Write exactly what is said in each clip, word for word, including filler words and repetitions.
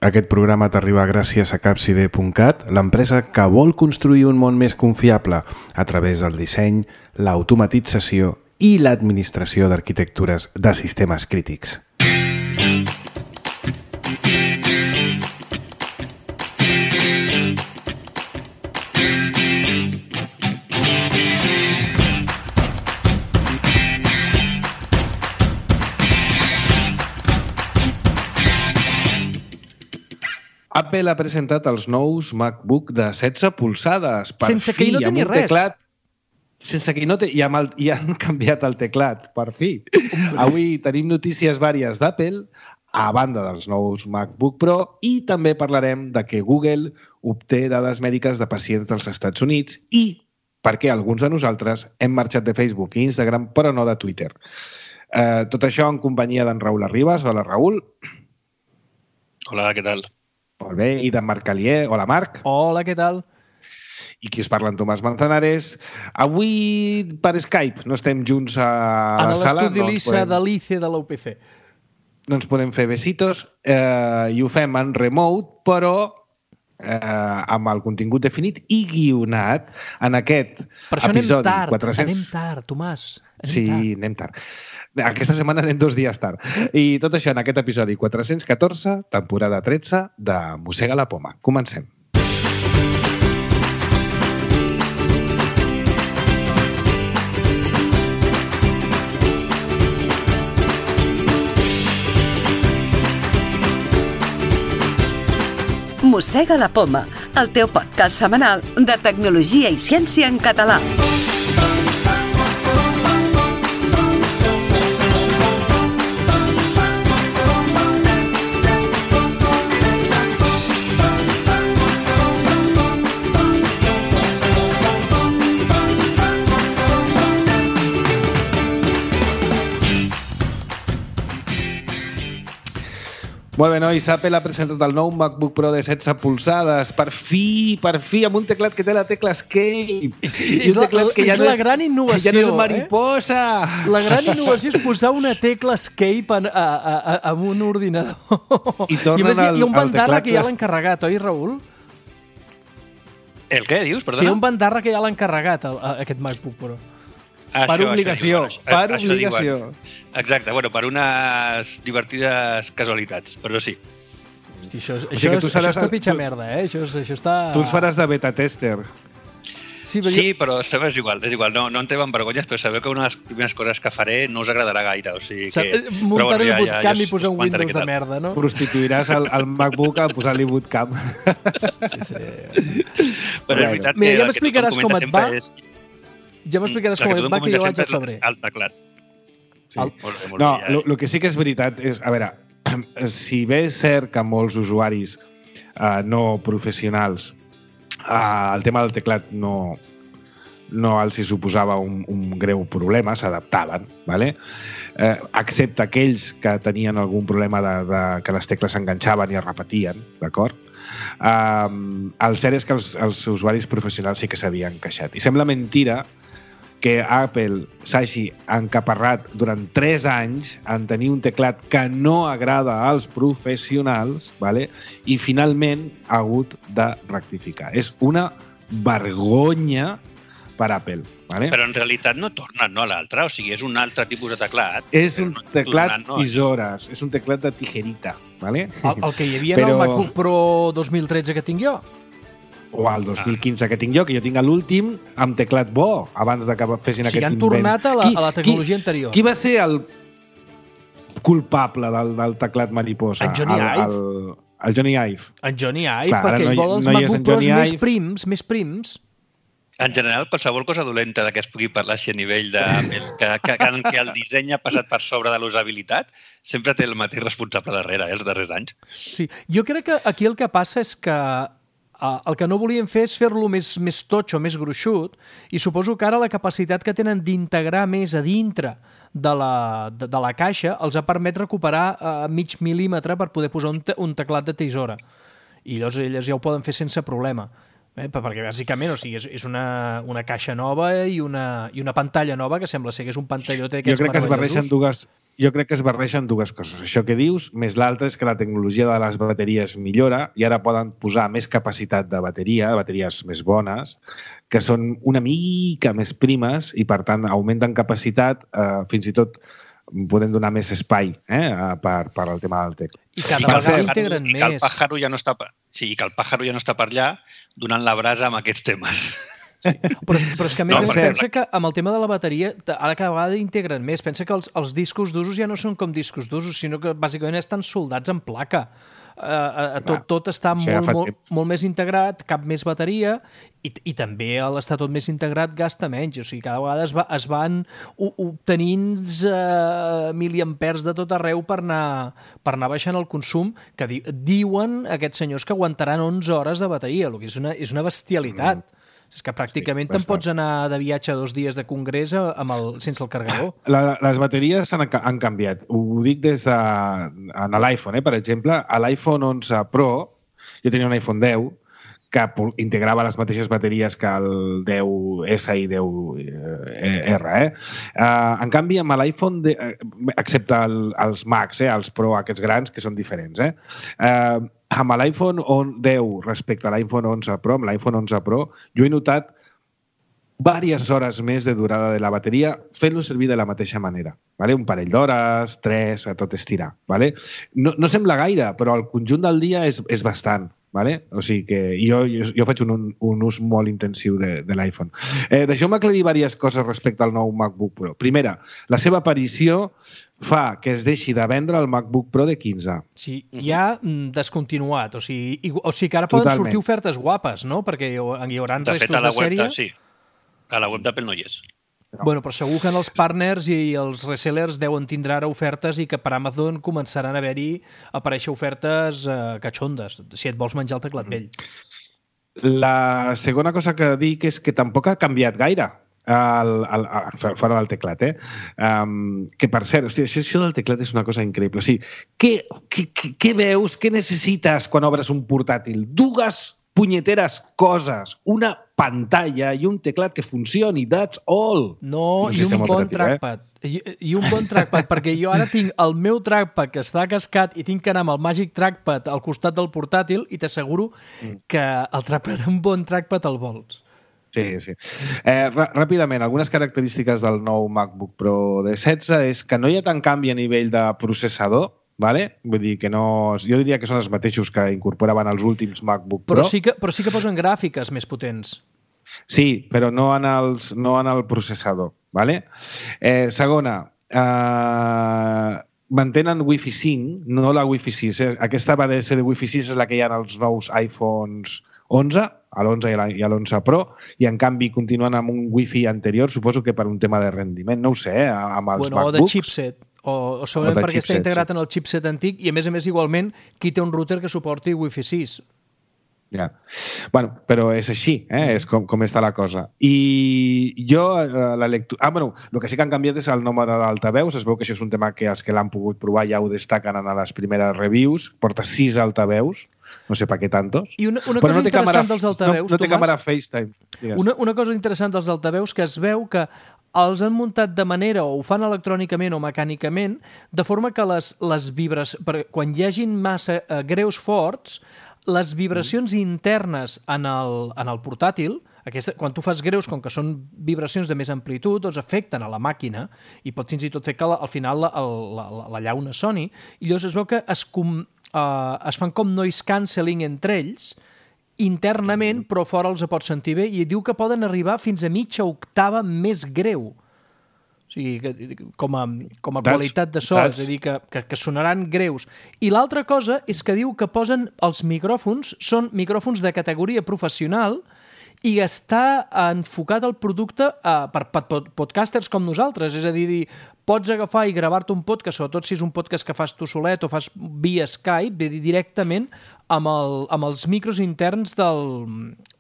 Aquest programa t'arriba gràcies a capside punt cat, l'empresa que vol construir un món més confiable a través del disseny, l'automatització i l'administració d'arquitectures de sistemes crítics. Apple ha presentat els nous MacBook de setze polzades. Per sense que hi no teni res. Teclat, sense que hi no te, i, amb el, i han canviat el teclat, per fi. Hombre. Avui tenim notícies vàries d'Apple, a banda dels nous MacBook Pro, i també parlarem de que Google obté dades mèdiques de pacients dels Estats Units i per què alguns de nosaltres hem marxat de Facebook i Instagram, però no de Twitter. Eh, tot això en companyia d'en Raül Arribas. Hola, Raül. Hola, què tal? Molt bé, i d'en Marc Calier. Hola, Marc. Hola, què tal? I qui us parla, en Tomàs Manzanares. Avui per Skype, no estem junts a la sala. En l'estudi Lisa de l'I C de la U P C. No ens podem fer besitos eh, i ho fem en remote, però eh, amb el contingut definit i guionat en aquest per això episodi. anem tard, quatre-cents... anem tard, Tomàs. Anem sí, tard. anem tard. Aquesta setmana anem dos dies tard. I tot això en aquest episodi quatre-cents catorze, temporada tretze, de Mossega la Poma. Comencem. Mossega la Poma, el teu podcast setmanal de tecnologia i ciència en català. Molt bé, nois, Apple ha presentat el nou MacBook Pro de setze polzades. Per fi, per fi, amb un teclat que té la tecla Escape. Sí, sí, és la, que ja és no la és, gran innovació. Ja no és mariposa. Eh? La gran innovació és posar una tecla Escape en, a, a, a, en un ordinador. I, I més, al, hi ha un bandarra que ja l'ha encarregat, oi, Raül? El què, dius? Perdona? Hi ha un bandarra que ja l'ha encarregat, el, aquest MacBook Pro. Això, per obligació, això, per això obligació. Exacte, bueno, per unes divertides casualitats, però sí. Hosti, això, o sigui això, és, això està pitja tu, merda, eh? Això, això està... Tu ens faràs de beta tester. Sí, però, sí, jo... però sabeu, és igual, és igual, no, no en treuen vergonyes, però sabeu que una de les primeres coses que faré no us agradarà gaire, o sigui que... Muntar bueno, ja, un bootcamp ja, ja i posar un Windows de merda, no? Prostituiràs el, el MacBook a posar-li bootcamp. Sí, sí. Però és veritat Mira, que ja m'explicaràs com et va. És... Ja m'explicaràs com et va, que jo vaig al febrer. El teclat. Sí. El... Molt bé, molt no, el ja, eh? que sí que és veritat és, a veure, si bé és cert que molts usuaris uh, no professionals uh, el tema del teclat no, no els hi suposava un, un greu problema, s'adaptaven, ¿vale? eh, excepte aquells que tenien algun problema de, de que les tecles s'enganxaven i es repetien, d'acord? Um, el cert és que els, els usuaris professionals sí que s'havien queixat. I sembla mentira que Apple s'hagi encaparrat durant tres anys en tenir un teclat que no agrada als professionals, ¿vale? I finalment ha hagut de rectificar. És una vergonya per Apple. ¿Vale? Però en realitat no torna no, a l'altre, o sigui, és un altre tipus de teclat. És un no teclat tornant, no, tisores, és un teclat de tijerita. ¿Vale? El, el que hi havia Però... en el MacBook Pro dos mil tretze que tinc jo? O el dos mil quinze ah. que tinc jo, que jo tinc l'últim amb teclat bo, abans de que fessin o sigui, aquest invent. han tornat a la, qui, a la tecnologia qui, anterior. Qui va ser el culpable del, del teclat mariposa? En Johnny Ive. El, el, el Johnny Ive. En Johnny Ive, Clar, perquè no, ell vol els no MacBook Pros més prims, més prims. En general, qualsevol cosa dolenta de què es pugui parlar així a nivell de... que, que, que, que el disseny ha passat per sobre de l'usabilitat, sempre té el mateix responsable darrere, eh, els darrers anys. Sí, jo crec que aquí el que passa és que uh, el que no volien fer és fer-lo més, més totxo, més gruixut, i suposo que ara la capacitat que tenen d'integrar més a dintre de la, de, de la caixa els ha permet recuperar uh, mig mil·límetre per poder posar un, te, un teclat de tisora. I llavors elles ja ho poden fer sense problema. Eh, perquè bàsicament, o sigui, és, és una, una caixa nova i una, i una pantalla nova que sembla ser que és un pantallot d'aquests jo crec que es barregen dues, jo crec que es barregen dues coses. Això que dius, més l'altre és que la tecnologia de les bateries millora i ara poden posar més capacitat de bateria, bateries més bones, que són una mica més primes i, per tant, augmenten capacitat, eh, fins i tot podem donar més espai eh, per, per al tema del teclat. I cada I vegada integren i més. Que el pàjaro ja no està per, sí, que el pàjaro ja no està per allà donant la brasa amb aquests temes. Sí. Però, però és que a més no, es pensa que amb el tema de la bateria ara cada vegada integren més. Pensa que els, els discos d'usos ja no són com discos d'usos, sinó que bàsicament estan soldats en placa. Uh, uh, tot, tot està molt, molt, molt més integrat, cap més bateria i, i també a l'estar tot més integrat gasta menys. O sigui, cada vegada es, va, es van obtenint uh, miliampers de tot arreu per anar, per anar baixant el consum, que di, diuen aquests senyors que aguantaran onze hores de bateria, el que és una, és una bestialitat. Mm. És que pràcticament sí, te'n pots anar de viatge dos dies de congrés amb el, sense el carregador. La, les bateries han, han canviat. Ho dic des de en l'iPhone, eh? Per exemple, a l'iPhone onze Pro, jo tenia un iPhone deu, que integrava les mateixes bateries que el deu essa i deu erra. Eh? Uh, en canvi, amb l'iPhone, de, excepte el, els Max, eh? Els Pro, aquests grans, que són diferents, eh? Uh, amb l'iPhone deu respecte a l'iPhone onze Pro, amb l'iPhone onze Pro, jo he notat diverses hores més de durada de la bateria fent-lo servir de la mateixa manera. Vale? Un parell d'hores, tres, a tot estirar. Vale? No, no sembla gaire, però el conjunt del dia és, és bastant. Vale? O sigui que jo, jo, jo faig un, un, un ús molt intensiu de, de l'iPhone. Eh, Deixeu-me aclarir diverses coses respecte al nou MacBook Pro. Primera, la seva aparició fa que es deixi de vendre el MacBook Pro de quinze. Sí, ja mm, descontinuat. O sigui, i, o sigui que ara poden Totalment. sortir ofertes guapes, no? Perquè hi, hi haurà restos de, fet, a la de sèrie. Web, sí. A la web d'Apple no hi és. No. Bueno, però segur que en els partners i els resellers deuen tindre ara ofertes i que per Amazon començaran a haver-hi aparèixer ofertes eh, catxondes, si et vols menjar el teclat vell. La segona cosa que dic és que tampoc ha canviat gaire el, el, el, fora del teclat, eh? Um, que per cert, hosti, això, això del teclat és una cosa increïble. O sigui, què, què, què veus, què necessites quan obres un portàtil? Dues punyeteres coses, una pantalla i un teclat que funcioni, that's all. No, i un bon trackpad. Eh? I, I un bon trackpad, perquè jo ara tinc el meu trackpad que està cascat i tinc que anar amb el Magic Trackpad al costat del portàtil i t'asseguro mm. que el trackpad, un bon trackpad el vols. Sí, sí. Eh, ràpidament, algunes característiques del nou MacBook Pro de setze és que no hi ha tant canvi a nivell de processador, vale? Vull dir que no... Jo diria que són els mateixos que incorporaven els últims MacBook Pro. Però sí que, però sí que posen gràfiques més potents. Sí, però no en, els, no en el processador. Vale? Eh, segona, eh, mantenen Wi-Fi cinc, no la Wi-Fi sis. Eh? Aquesta variació de Wi-Fi sis és la que hi ha en els nous iPhones onze, a l'onze i a l'onze Pro, i en canvi continuen amb un Wi-Fi anterior, suposo que per un tema de rendiment, no ho sé, eh? Amb els bueno, MacBooks. O de chipset. O, o segurament o perquè chipset, està integrat sí. en el chipset antic i, a més a més, igualment, qui té un router que suporti Wi-Fi sis. Ja. Bueno, però és així, eh? És com, com està la cosa. I jo, la lectura... Ah, bueno, el que sí que han canviat és el número d'altaveus. Es veu que això és un tema que els que l'han pogut provar ja ho destaquen en les primeres reviews. Porta sis altaveus. No sé per què tantos. I una, una cosa no interessant càmera, dels altaveus, no, no té Tomàs, càmera FaceTime. Una, una cosa interessant dels altaveus que es veu que els han muntat de manera, o ho fan electrònicament o mecànicament, de forma que les, les vibres, per, quan hi hagin massa eh, greus forts, les vibracions internes en el, en el portàtil, aquesta, quan tu fas greus, com que són vibracions de més amplitud, doncs afecten a la màquina i pot fins i tot fer que la, al final la, la, la, la llauna soni. I llavors es veu que es, com, uh, es fan com noise cancelling entre ells, internament, però fora els pots sentir bé, i diu que poden arribar fins a mitja octava més greu. O sigui, que, com a, com a qualitat de so, és a dir, que, que, que sonaran greus. I l'altra cosa és que diu que posen els micròfons, són micròfons de categoria professional i està enfocat el producte uh, per, per podcasters com nosaltres. És a dir, dir pots agafar i gravar-te un podcast, sobretot si és un podcast que fas tu solet o fas via Skype, directament amb, el, amb els micros interns del...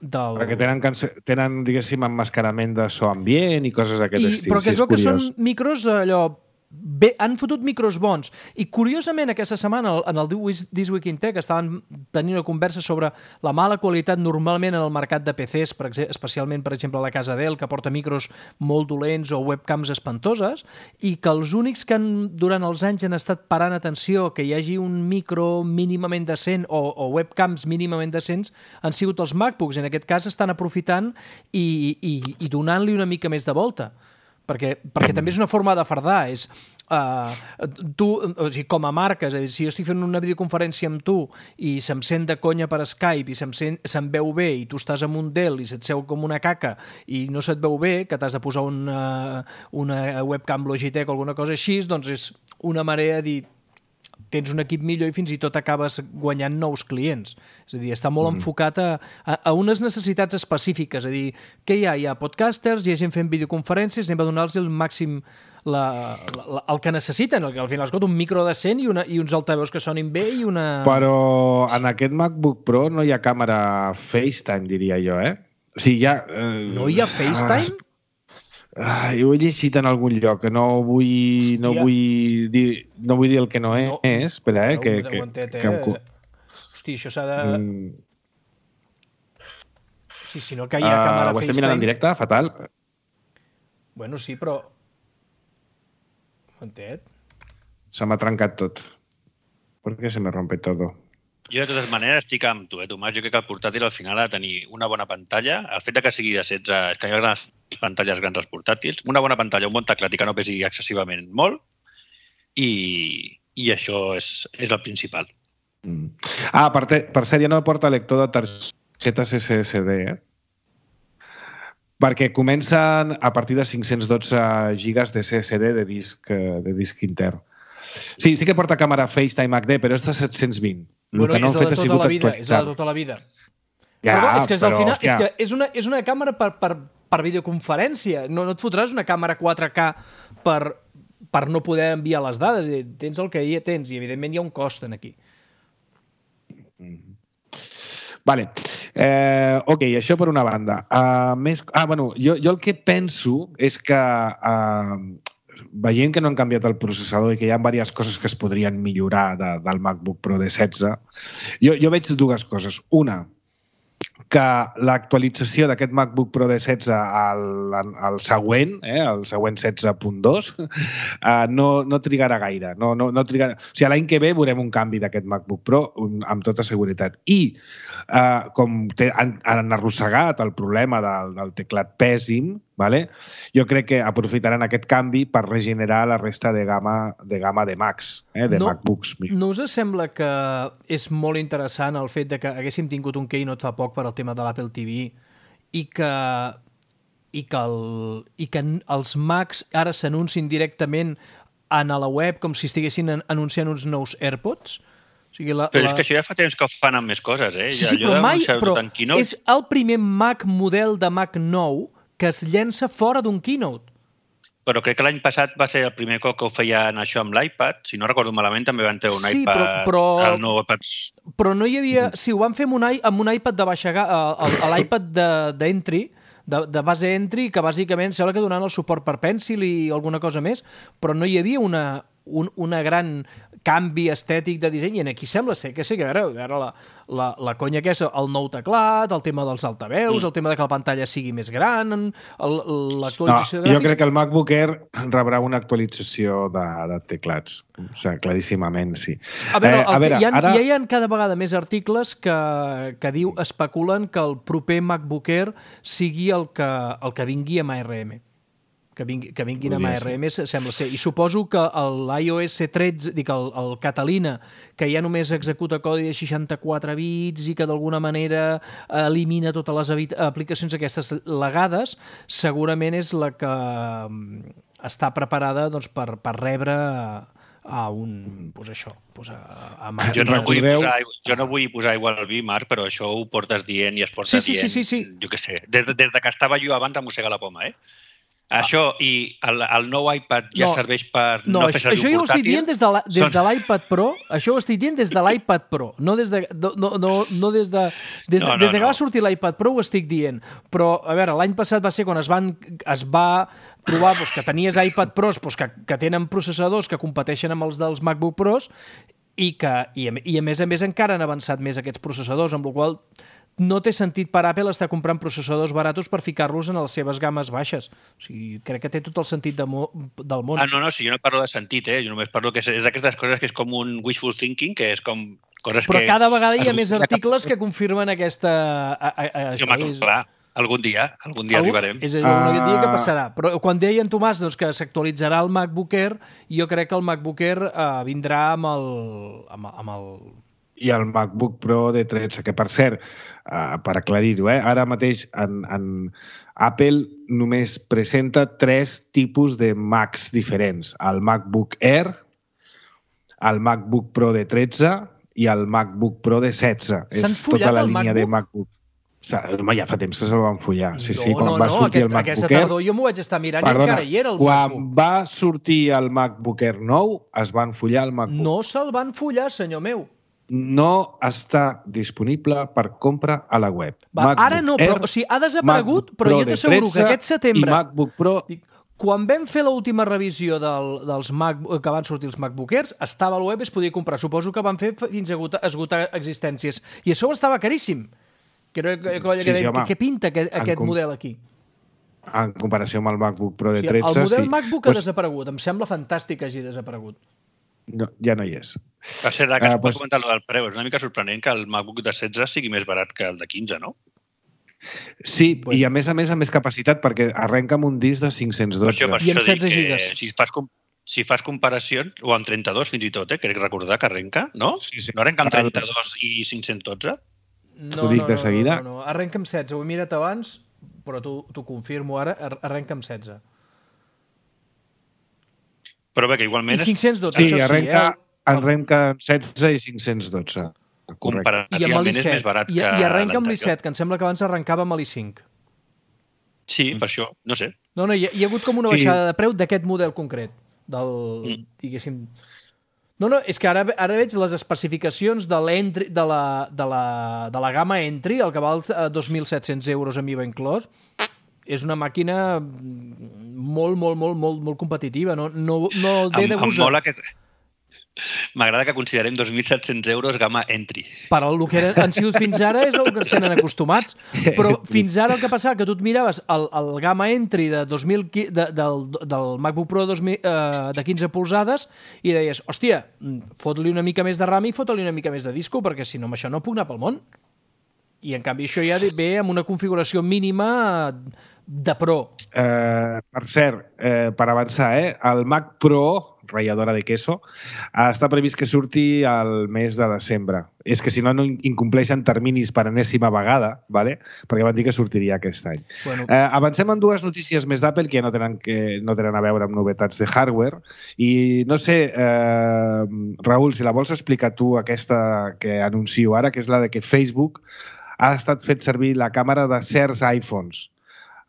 del... Perquè tenen, tenen, diguéssim, emmascarament de so ambient i coses d'aquest estil. Però que es veu que són micros allò bé, han fotut micros bons. I curiosament aquesta setmana en el This Week in Tech estaven tenint una conversa sobre la mala qualitat normalment en el mercat de P Cs, per exemple, especialment per exemple a la casa Dell, que porta micros molt dolents o webcams espantoses, i que els únics que han, durant els anys han estat parant atenció que hi hagi un micro mínimament decent o, o webcams mínimament decents han sigut els MacBooks. En aquest cas estan aprofitant i, i, i donant-li una mica més de volta. Perquè, perquè també és una forma de fardar. És, uh, tu, o sigui, com a marca, és a dir, si jo estic fent una videoconferència amb tu i se'm sent de conya per Skype i se'm, sent, se'm veu bé i tu estàs amb un Dell i se't seu com una caca i no se't veu bé, que t'has de posar una, una webcam Logitech o alguna cosa així, doncs és una manera de dir tens un equip millor i fins i tot acabes guanyant nous clients. És a dir, està molt mm. enfocat a, a, a unes necessitats específiques. És a dir, què hi ha? Hi ha podcasters, hi ha gent fent videoconferències, anem a donar-los el màxim la, la, el que necessiten. Al final, escolta, un micro decent i, una, i uns altaveus que sonin bé i una... Però en aquest MacBook Pro no hi ha càmera FaceTime, diria jo, eh? O sigui, hi ha... Eh... No hi ha FaceTime? Ah, Ah, jo ho he llegit en algun lloc, que no vull, no vull, dir, no vull dir el que no, no. és. Espera, eh? No, que, que, aguantet, eh? que em... Hosti, això s'ha de... Mm. Sí, si no que hi ha uh, càmera FaceTime... Ho estem mirant en directe? Fatal. Bueno, sí, però... Aguantet. Se m'ha trencat tot. ¿Por qué se me rompe todo? Jo, de totes maneres, estic amb tu, eh, Tomàs. Jo crec que el portàtil al final ha de tenir una bona pantalla. El fet que sigui de setze... És que hi ha grans pantalles grans als portàtils. Una bona pantalla, un bon teclat i que no pesi excessivament molt. I, i això és, és el principal. Mm. Ah, per, te, per cert, ja no porta lector de targetes S S D, eh? Perquè comencen a partir de cinc-cents dotze gigas de S S D de disc, de disc intern. Sí, sí que porta càmera FaceTime H D, però és de set-cents vint. Bueno, no és de tota la vida, és de tota la vida. Ja, però, és que és, però, al final, és, que és, una, és una càmera per, per, per videoconferència. No, no et fotràs una càmera quatre K per, per no poder enviar les dades. Tens el que hi tens i, evidentment, hi ha un cost en aquí. Mm. Vale. Eh, ok, això per una banda. Uh, més, ah, bueno, jo, jo el que penso és que... Uh, veient que no han canviat el processador i que hi ha diverses coses que es podrien millorar de, del MacBook Pro de setze, jo, jo veig dues coses. Una, que l'actualització d'aquest MacBook Pro de setze al, al següent, eh, el següent setze punt dos, eh, no, no trigarà gaire. No, no, no trigarà... O sigui, l'any que ve veurem un canvi d'aquest MacBook Pro amb tota seguretat. I eh, com té, han, han arrossegat el problema del, del teclat pèssim, vale? Jo crec que aprofitaran aquest canvi per regenerar la resta de gamma de, gamma de Macs, eh, de no, MacBooks. No us sembla que és molt interessant el fet de que haguéssim tingut un keynote fa poc per al tema de l'Apple T V i que, i que, el, i que els Macs ara s'anuncin directament a la web com si estiguessin anunciant uns nous AirPods? O sigui, la, però la... és que això ja fa temps que ho fan amb més coses, eh? Sí, sí, ja, però mai... Però és el primer Mac model de Mac nou que es llença fora d'un keynote. Però crec que l'any passat va ser el primer cop que ho feien això amb l'iPad. Si no recordo malament, també van treure un sí, iPad... Però, però, el nou iPad... però no hi havia... Sí, ho van fer amb un, amb un iPad de baixa... l'iPad d'entry, de, de base entry, que bàsicament sembla que donant el suport per Pencil i alguna cosa més, però no hi havia una, un una gran canvi estètic de disseny, i aquí sembla ser que sí, que a veure, a veure la, la, la conya que és el nou teclat, el tema dels altaveus, mm. el tema de que la pantalla sigui més gran, l'actualització no, de gràfics... Jo crec que el MacBook Air rebrà una actualització de, de teclats. O sigui, claríssimament, sí. A veure, eh, a veure hi ha, ara... ja hi ha cada vegada més articles que, que diu, especulen que el proper MacBook Air sigui el que, el que vingui amb A R M. Que, vingui, que vinguin amb A R M, sembla ser. I suposo que l'iOS tretze, dic, el, el Catalina, que ja només executa codi de seixanta-quatre bits i que d'alguna manera elimina totes les aplicacions aquestes legades, segurament és la que està preparada doncs, per, per rebre a un... Pues això, pues a, a jo, no vull posar, jo no vull posar igual al vi, Marc, però això ho portes dient i es porta sí, sí, dient, sí, sí, sí. jo què sé. Des, des de que estava jo abans a mossegar la poma, eh? Això i el, el nou iPad ja no, serveix per no, no fer servir això un portàtil. Això ho estic dient des de, la, des Són... de l'iPad Pro, això ho estic dient des de l'iPad Pro, no des de, no, no, no des de, des, no, no, des de que no. va sortir l'iPad Pro ho estic dient. Però, a veure, l'any passat va ser quan es, van, es va provar doncs, que tenies iPad Pros doncs, que, que tenen processadors que competeixen amb els dels MacBook Pros i que, i a, i a més a més encara han avançat més aquests processadors, amb la qual no té sentit per Apple estar comprant processadors baratos per ficar-los en les seves games baixes. O sigui, crec que té tot el sentit de mo del món. Ah, no, no, sí, jo no parlo de sentit, eh? Jo només parlo que és, és d'aquestes coses que és com un wishful thinking, que és com coses Però que... Però cada vegada hi ha més articles que confirmen aquesta... A, a, a, sí, home, clar, algun dia, algun dia Algú... arribarem. És un uh... dia que passarà. Però quan deia en Tomàs doncs, que s'actualitzarà el MacBook Air, jo crec que el MacBook Air uh, vindrà amb el... Amb, amb el... I el MacBook Pro de tretze, que per cert, uh, per aclarir-ho, eh, ara mateix en, en Apple només presenta tres tipus de Macs diferents. El MacBook Air, el MacBook Pro de tretze i el MacBook Pro de setze. S'han follat tota la el línia MacBook? De MacBook. Home, ja fa temps que se'l van follar. Sí, sí, no, quan no, va no, sortir aquest, el MacBook aquesta Air... tardor jo m'ho vaig estar mirant Perdona, i encara hi era el quan MacBook. va sortir el MacBook Air nou, es van follar el MacBook. No se'l van follar, senyor meu. No està disponible per compra a la web. Va, ara no, però Air, o sigui, ha desaparegut, però jo t'asseguro que aquest setembre... I MacBook Pro... Dic, quan vam fer l'última revisió del, dels Mac, que van sortir els MacBook Airs, estava al web i es podia comprar. Suposo que van fer fins a esgotar, esgotar existències. I això estava caríssim. Que, que, que, sí, sí, que, què pinta aquest, aquest model aquí? En comparació amb el MacBook Pro de o sigui, tretze... El model sí. MacBook pues... ha desaparegut. Em sembla fantàstic que hagi desaparegut. No, ja no hi és. Va ser que es uh, pot pues... comentar lo del preu. És una mica sorprenent que el MacBook de setze sigui més barat que el de quinze, no? Sí, pues... i a més a més amb més capacitat, perquè arrenca amb un disc de cinc-cents dotze. Per això, per I amb setze gigas. Si fas, si fas comparacions, o amb trenta-dos fins i tot, eh? Crec recordar que arrenca, no? Sí, sí. No arrenca amb trenta-dos i cinc-cents dotze? No, T'ho dic no, de seguida. No, no, no. Arrenca amb setze. Ho he mirat abans, però t'ho confirmo ara. Arrenca amb setze. Però bé, que igualment... I cinc-cents dotze, sí, això arrenca, sí. Eh? Arrenca amb setze i cinc-cents dotze. Comparativament és més barat I, que I arrenca amb l'i set, que em sembla que abans arrencava amb l'i cinc. Sí, per això, no sé. No, no, hi ha, hi ha hagut com una baixada sí. de preu d'aquest model concret. Del, mm. diguéssim... No, no, és que ara, ara veig les especificacions de, de, la, de, la, de la gamma Entry, el que val dos mil set-cents euros amb I V A inclòs, és una màquina molt, molt, molt, molt, molt competitiva. No, no, no ve de gust. Em mola que... M'agrada que considerem dos mil set-cents euros gamma Entry. Per el que han sigut fins ara és el que ens tenen acostumats. Però fins ara el que passava que tu et miraves el, el gamma Entry de dos mil, de, del, del MacBook Pro dos mil, eh, de quinze polzades i deies, hòstia, fot-li una mica més de RAM i fot-li una mica més de disco perquè si no amb això no puc anar pel món. I en canvi això ja ve amb una configuració mínima de Pro. Eh, per cert, eh, per avançar, eh, el Mac Pro ratlladora de queso, està previst que surti al mes de desembre. És que si no, no incompleixen terminis per enèsima vegada, ¿vale? Perquè van dir que sortiria aquest any. Bueno. Eh, avancem en dues notícies més d'Apple que ja no tenen, que no tenen a veure amb novetats de hardware. I no sé, eh, Raül, si la vols explicar tu, aquesta que anuncio ara, que és la de que Facebook ha estat fet servir la càmera de certs iPhones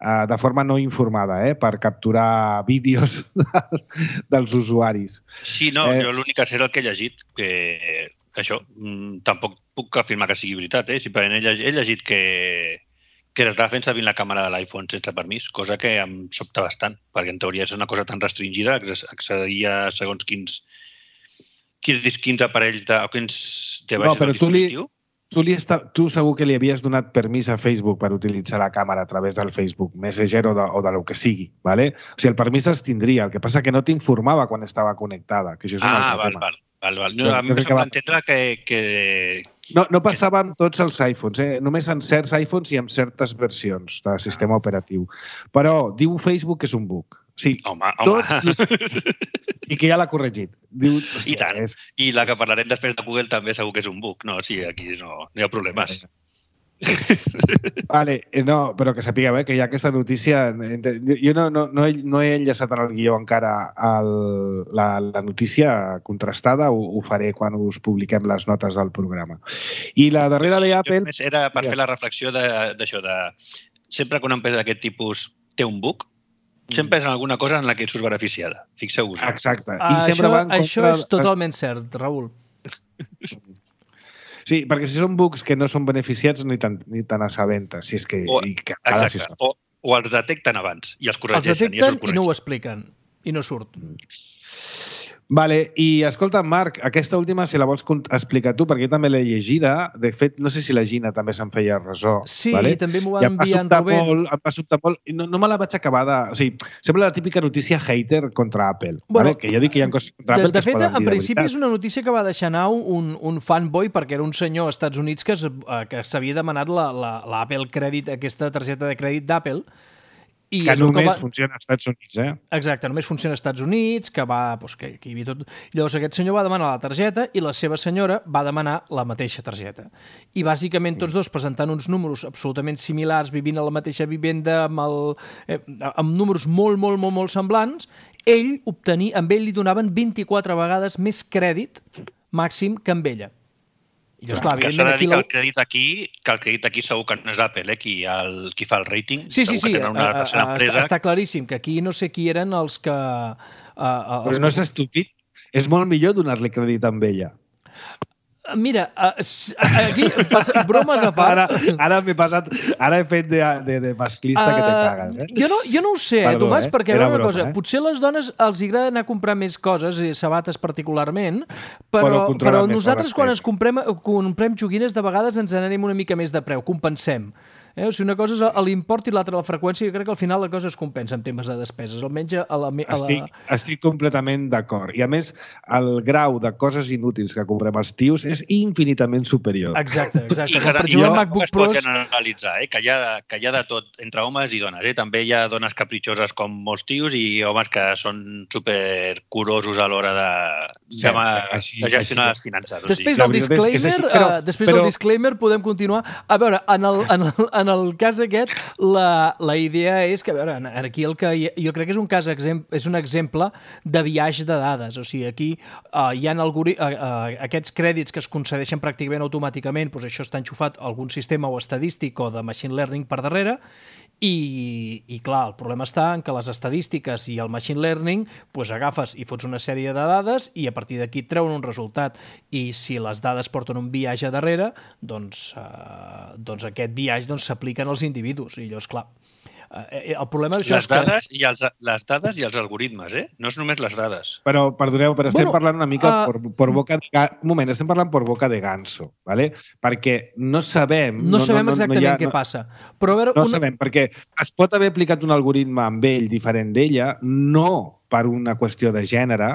de forma no informada, eh, per capturar vídeos dels usuaris. Sí, no, eh... jo l'únic que sé és el que he llegit, que això, tampoc puc afirmar que sigui veritat, eh? Simplement he llegit, he llegit que, que estava fent servir la càmera de l'iPhone sense permís, cosa que em sobta bastant, perquè en teoria és una cosa tan restringida, accedia a segons quins, quins, quins aparells de, o quins devices no, del dispositiu. Li... Tu, li està, tu segur que li havies donat permís a Facebook per utilitzar la càmera a través del Facebook Messenger o de, o de lo que sigui, ¿vale? O sigui, el permís es tindria, el que passa que no t'informava quan estava connectada, que això és un ah, altre val, tema. Val, val, val. No, a mi em sembla entendre que... que... No, no passava amb tots els iPhones, eh? Només en certs iPhones i en certes versions de sistema operatiu. Però diu Facebook que és un bug. Sí, home, home. Tot, i que ja l'ha corregit. Diu, I tant. És... I la que parlarem després de Google també segur que és un bug. No, sí, aquí no, no hi ha problemes. Vale, no, però que sapigueu eh, que hi ha aquesta notícia... Jo no, no, no, he, no he enllaçat en el guió encara el, la, la notícia contrastada, ho, ho faré quan us publiquem les notes del programa. I la darrera sí, d'Apple... Era per fer la reflexió d'això, de, de... Sempre que una empresa d'aquest tipus té un bug, sempre és alguna cosa en la que surts beneficiada. Fixeu-vos. Exacte. I uh, sempre això, va en contra... això és totalment cert, Raül. Sí, perquè si són bugs que no són beneficiats ni tan, ni tan assabentes, si és que... O, i que exacte, si o, o els detecten abans i els corregeixen. Els detecten i, i no ho expliquen, i no surt. Vale, i escolta, Marc, aquesta última, si la vols explicar tu, perquè jo també l'he llegida. De fet, no sé si la Gina també se'n feia ressò. Sí, vale? també m'ho va enviar en Rubén. Molt, em va sobtar molt, i no, no me la vaig acabar de... O sigui, sembla la típica notícia hater contra Apple. Bueno, vale? Que jo dic que hi ha coses contra de, Apple de que fet, es poden dir en principi de veritat. és una notícia que va deixar anar un, un fanboy, perquè era un senyor als Estats Units que, es, que s'havia demanat l'Apple Credit, aquesta targeta de crèdit d'Apple. I que només va... funciona als Estats Units, eh? Exacte, només funciona als Estats Units, que va... Doncs, que, que hi havia tot... Llavors aquest senyor va demanar la targeta i la seva senyora va demanar la mateixa targeta. I bàsicament tots dos presentant uns números absolutament similars, vivint a la mateixa vivenda, amb, el, eh, amb números molt, molt, molt, molt semblants, ell obtenia, amb ell li donaven vint-i-quatre vegades més crèdit màxim que amb ella. I llavors, clar, que s'ha de dir que el crèdit aquí, que el crèdit aquí segur que no és Apple, eh? qui, el, qui fa el rating. Sí, sí, sí, una a, a, està, està claríssim que aquí no sé qui eren els que... A, a, els Però no que... és estúpid. És molt millor donar-li crèdit amb ella. Mira, aquí, bromes a part... Ara, ara m'he passat... Ara he fet de, de, de masclista uh, que te cagues, eh? Jo no, jo no ho sé, Perdó, Tomàs, eh? perquè a veure una cosa, eh? potser a les dones els agrada anar a comprar més coses, i sabates particularment, però, però, però nosaltres quan ens comprem, comprem joguines de vegades ens n'anem una mica més de preu, compensem. Eh? O sigui, una cosa és l'import i l'altra la freqüència, jo crec que al final la cosa es compensa en temes de despeses, almenys a la... A la... Estic, estic completament d'acord. I a més, el grau de coses inútils que comprem els tios és infinitament superior. Exacte, exacte. I que, per exemple, el MacBook es pot generalitzar, eh? que, hi ha, que hi ha de tot entre homes i dones. Eh? També hi ha dones capritxoses com molts tios i homes que són supercurosos a l'hora de, sí, de, així, de gestionar així. les finances. Després o del sigui. disclaimer, és, és així, però, uh, després però... del disclaimer podem continuar. A veure, en el, en el, en el cas aquest, la, la idea és que, a veure, aquí el que jo crec que és un cas és un exemple de biaix de dades. O sigui, aquí uh, hi ha algori, uh, uh, aquests crèdits que es concedeixen pràcticament automàticament, doncs això està enxufat a algun sistema o estadístic o de machine learning per darrere, i, i clar, el problema està en que les estadístiques i el machine learning doncs agafes i fots una sèrie de dades i a partir d'aquí et treuen un resultat, i si les dades porten un biaix a darrere, doncs, eh, doncs aquest biaix doncs, s'apliquen als individus, i llavors, clar, eh, el problema d'això les és que... Dades i els, les dades i els algoritmes, eh? No és només les dades. Però, perdoneu, però estem bueno, parlant una mica uh... por, por boca de... Un moment, estem parlant por boca de ganso, ¿vale? Perquè no sabem... No, no sabem no, exactament no, no ha, què no, passa. Però a veure, no una... sabem, perquè es pot haver aplicat un algoritme amb ell diferent d'ella, no per una qüestió de gènere,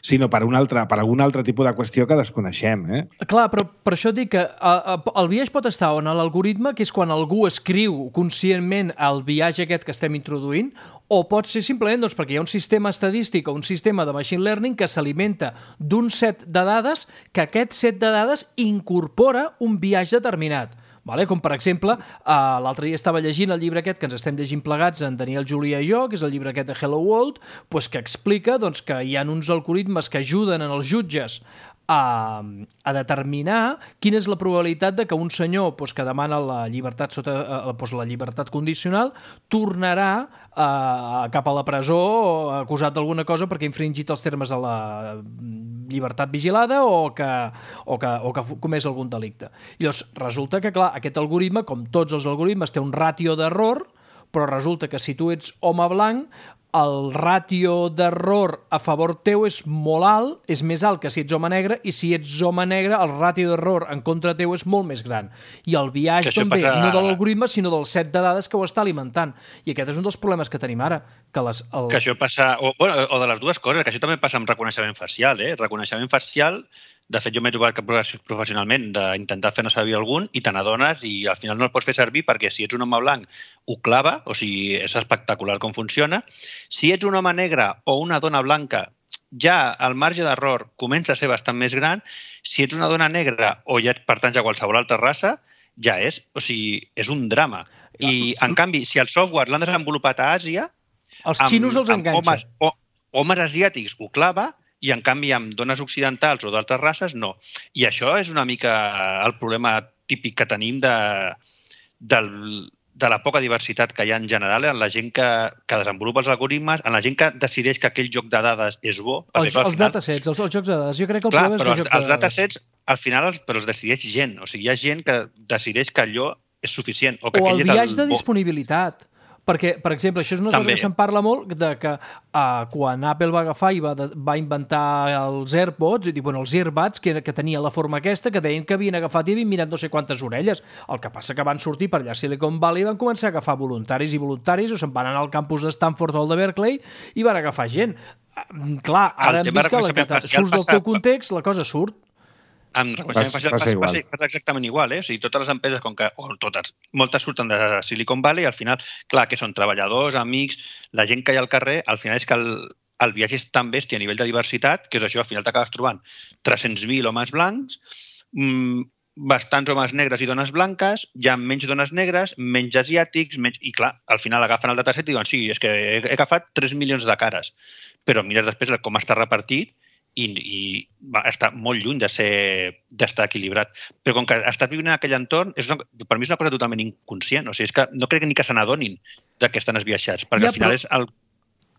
sinó per, un altre, per algun altre tipus de qüestió que desconeixem. Eh? Clar, però per això dic que uh, el biaix pot estar en l'algoritme, que és quan algú escriu conscientment el biaix aquest que estem introduint, o pot ser simplement doncs, perquè hi ha un sistema estadístic o un sistema de machine learning que s'alimenta d'un set de dades, que aquest set de dades incorpora un biaix determinat. Vale? Com, per exemple, uh, l'altre dia estava llegint el llibre aquest que ens estem llegint plegats, en Daniel Julià i jo, que és el llibre aquest de Hello World, pues, que explica doncs, que hi ha uns algoritmes que ajuden en els jutges a, a determinar quina és la probabilitat de que un senyor pues, que demana la llibertat sota eh, pues, la llibertat condicional tornarà eh, cap a la presó acusat d'alguna cosa perquè ha infringit els termes de la llibertat vigilada o que, o que, o que ha comès algun delicte. I llavors resulta que, clar, aquest algoritme, com tots els algoritmes, té un ràtio d'error, però resulta que si tu ets home blanc, el ràtio d'error a favor teu és molt alt, és més alt que si ets home negre, i si ets home negre el ràtio d'error en contra teu és molt més gran. I el biaix també, passa... no de l'algoritme, sinó del set de dades que ho està alimentant. I aquest és un dels problemes que tenim ara. Que, les, el... que això passa... O, bueno, o de les dues coses, que això també passa amb reconeixement facial. Eh? Reconeixement facial, de fet, jo m'he trobat professionalment d'intentar fer-ne servir algun i te n'adones i al final no el pots fer servir perquè si ets un home blanc ho clava, o sigui, és espectacular com funciona. Si ets un home negre o una dona blanca, ja el marge d'error comença a ser bastant més gran. Si ets una dona negra o ja pertanys a qualsevol altra raça, ja és, o sigui, és un drama. I, en canvi, si el software l'han desenvolupat a Àsia, els xinos els enganxa. Homes, o, homes asiàtics ho clava, i en canvi amb dones occidentals o d'altres races no. I això és una mica el problema típic que tenim de, del, de la poca diversitat que hi ha en general, en la gent que, que desenvolupa els algoritmes, en la gent que decideix que aquell joc de dades és bo. Els, els final... datasets, els, els jocs de dades. Jo crec que el clar, problema és però el els, joc de els dades. datasets, al final, els, però els decideix gent. O sigui, hi ha gent que decideix que allò és suficient. O, que o el és biaix el de bo. disponibilitat. Perquè, per exemple, això és una També. cosa que se'n parla molt, de que uh, quan Apple va agafar i va, de, va inventar els AirPods, i dir, bueno, els Earbuds, que, que tenia la forma aquesta, que deien que havien agafat i havien mirat no sé quantes orelles. El que passa que van sortir per allà a Silicon Valley i van començar a agafar voluntaris i voluntaris, o se'n van anar al campus de Stanford o el de Berkeley i van agafar gent. Uh, clar, ara hem vist que la, que surts del teu context, la cosa surt. Amb reconeixement facial passa, passa, passa exactament igual, eh? O sigui, totes les empreses, com que, o totes, moltes surten de Silicon Valley, al final, clar, que són treballadors, amics, la gent que hi ha al carrer, al final és que el, el viatge és tan bèstia a nivell de diversitat, que és això, al final t'acabes trobant tres-cents mil homes blancs, mmm, bastants homes negres i dones blanques, hi ha menys dones negres, menys asiàtics, menys... i clar, al final agafen el dataset i diuen, sí, és que he, he agafat tres milions de cares, però mires després com està repartit i, i va, està molt lluny de ser d'estar equilibrat. Però com que estàs vivint en aquell entorn, és una, per mi és una cosa totalment inconscient. O sigui, és que no crec ni que se n'adonin que estan esbiaixats, perquè ja, al final però... és el,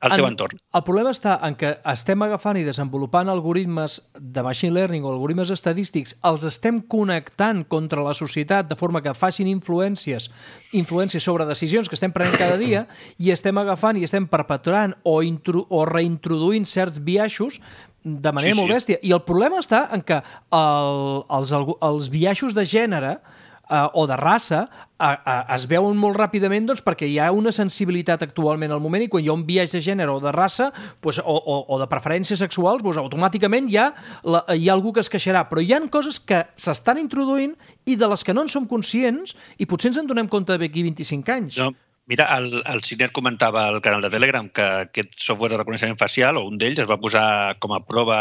el teu en, entorn. El problema està en que estem agafant i desenvolupant algoritmes de machine learning o algoritmes estadístics, els estem connectant contra la societat de forma que facin influències, influències sobre decisions que estem prenent cada dia i estem agafant i estem perpetuant o, intro, o reintroduint certs biaixos de manera sí, molt bèstia. Sí. I el problema està en que el, els, els biaixos de gènere uh, o de raça uh, uh, es veuen molt ràpidament doncs, perquè hi ha una sensibilitat actualment al moment i quan hi ha un biaix de gènere o de raça pues, o, o, o de preferències sexuals, doncs, automàticament hi ha, la, hi ha algú que es queixarà. Però hi ha coses que s'estan introduint i de les que no en som conscients i potser ens en donem compte d'aquí vint-i-cinc anys. No. Mira, el, el Siner comentava al canal de Telegram que aquest software de reconeixement facial, o un d'ells, es va posar com a prova,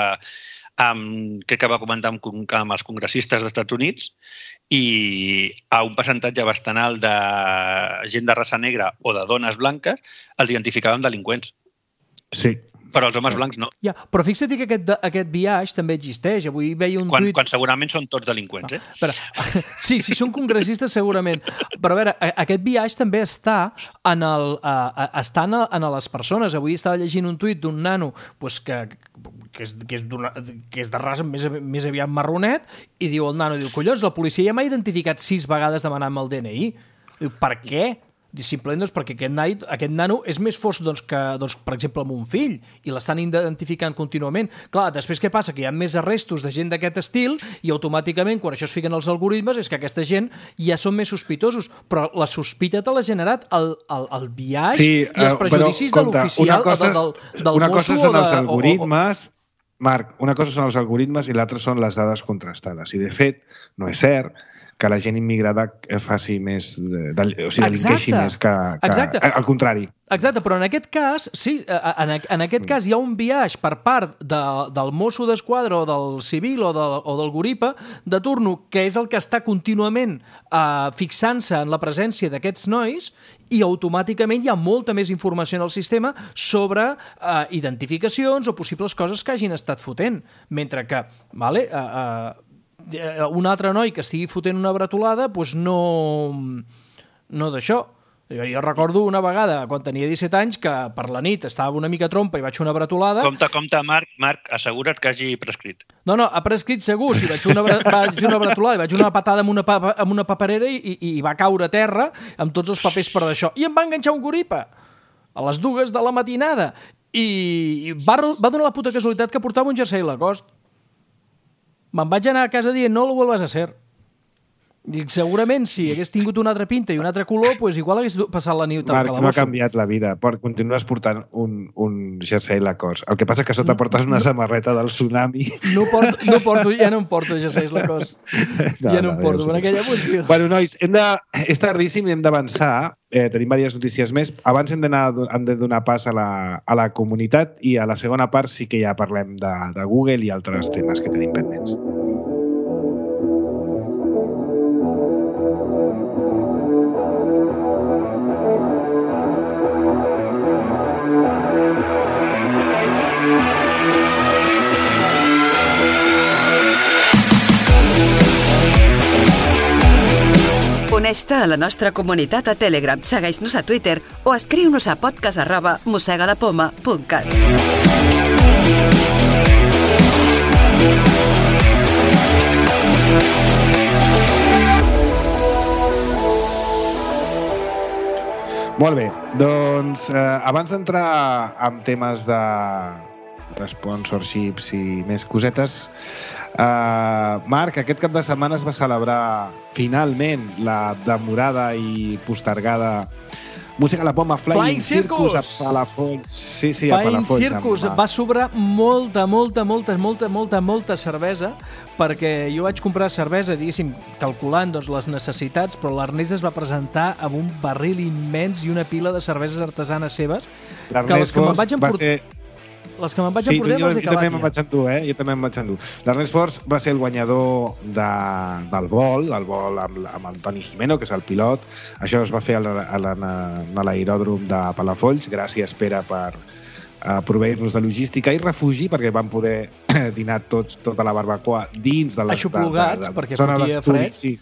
amb, crec que va comentar amb, amb els congressistes dels Estats Units, i a un percentatge bastant alt de gent de raça negra o de dones blanques els identificaven delinqüents. Sí. Però els homes blancs no. Ja, però fixa't que aquest, aquest biaix també existeix. Avui veia un quan, tuit... Quan segurament són tots delinqüents, eh? Però, sí, si són congressistes segurament. Però a veure, aquest biaix també està en, el, uh, està en, en les persones. Avui estava llegint un tuit d'un nano pues, que, que, és, que, és que és de raça més, més aviat marronet i diu el nano, diu, collons, la policia ja m'ha identificat sis vegades demanant-me el D N I. Diu, per què? Simplement doncs, perquè aquest, nai, aquest nano és més fosc doncs, que, doncs, per exemple, amb un fill i l'estan identificant contínuament. Clar, després què passa? Que hi ha més arrestos de gent d'aquest estil i automàticament, quan això es fiquen els algoritmes, és que aquesta gent ja són més sospitosos. Però la sospita te l'ha generat el, el, el biaix sí, i els prejudicis però, compte, de l'oficial cosa, del, del una mosso cosa són de, els algoritmes, o, o... Marc, una cosa són els algoritmes i l'altra són les dades contrastades. I, de fet, no és cert que la gent immigrada faci més, de, de, o sigui, delinqueixi més que, que... Exacte. Al contrari. Exacte, però en aquest cas, sí, en, en aquest cas hi ha un biaix per part de, del mosso d'esquadra o del civil o, de, o del guripa de turno, que és el que està contínuament uh, fixant-se en la presència d'aquests nois i automàticament hi ha molta més informació en el sistema sobre uh, identificacions o possibles coses que hagin estat fotent. Mentre que, vale, uh, uh, un altre noi que estigui fotent una bretolada, doncs no, no d'això. Jo recordo una vegada, quan tenia disset anys, que per la nit estava una mica trompa i vaig fer una bretolada. Compte, compte, Marc, Marc, assegura't que hagi prescrit. No, no, ha prescrit segur. Si vaig fer una, vaig fer una bretolada i vaig fer una patada amb una, papa, amb una paperera i, i va caure a terra amb tots els papers per d'això. I em va enganxar un guripa a les dues de la matinada. I va, va donar la puta casualitat que portava un jersei Lacoste. Me'n vaig anar a casa dient, no lo vuelvas a hacer. Dic, segurament, si hagués tingut una altra pinta i un altre color, pues igual hagués passat la nit al Marc, calabosso. no ha canviat la vida. Continues portant un, un jersei Lacoste. El que passa que sota portes una no, samarreta del tsunami. No porto, no porto, ja no em porto jerseis Lacoste. No, ja no, no em porto. En aquella posició. Bueno, nois, hem de, és tardíssim i hem d'avançar. Eh, tenim diverses notícies més. Abans hem, hem de donar pas a la, a la comunitat i a la segona part sí que ja parlem de, de Google i altres temes que tenim pendents. Uneix-te a la nostra comunitat a Telegram, segueix-nos a Twitter o escriu-nos a podcast arroba mosegalapoma punt cat. Molt bé, doncs eh, abans d'entrar en temes de sponsorships i més cosetes, Uh, Marc, aquest cap de setmana es va celebrar finalment la demorada i postergada Música a la Poma Flying, Flying Circus a Palafolls. Sí, sí, a Flying Palafolls. Circus amb... va sobrar molta, molta, molta, molta, molta, molta cervesa, perquè jo vaig comprar cervesa, diguéssim, calculant doncs, les necessitats, però l'Ernest es va presentar amb un barril immens i una pila de cerveses artesanes seves, que les que me'n vaig emportar... Ser... Les que me'n vaig sí, emportar jo, me'ls he jo també acabat me'n vaig endur, eh? Jo també me'n vaig endur. L'Ernest Force va ser el guanyador de, del vol, del vol amb, amb el Toni Jimeno, que és el pilot. Això es va fer a l'aeròdrom de Palafolls. Gràcies, Pere, per uh, proveir-nos de logística i refugi, perquè vam poder dinar tots, tota la barbacoa dins de la, Aixoplugats, de, de, de, perquè zona fotia d'estudi. fred. Sí,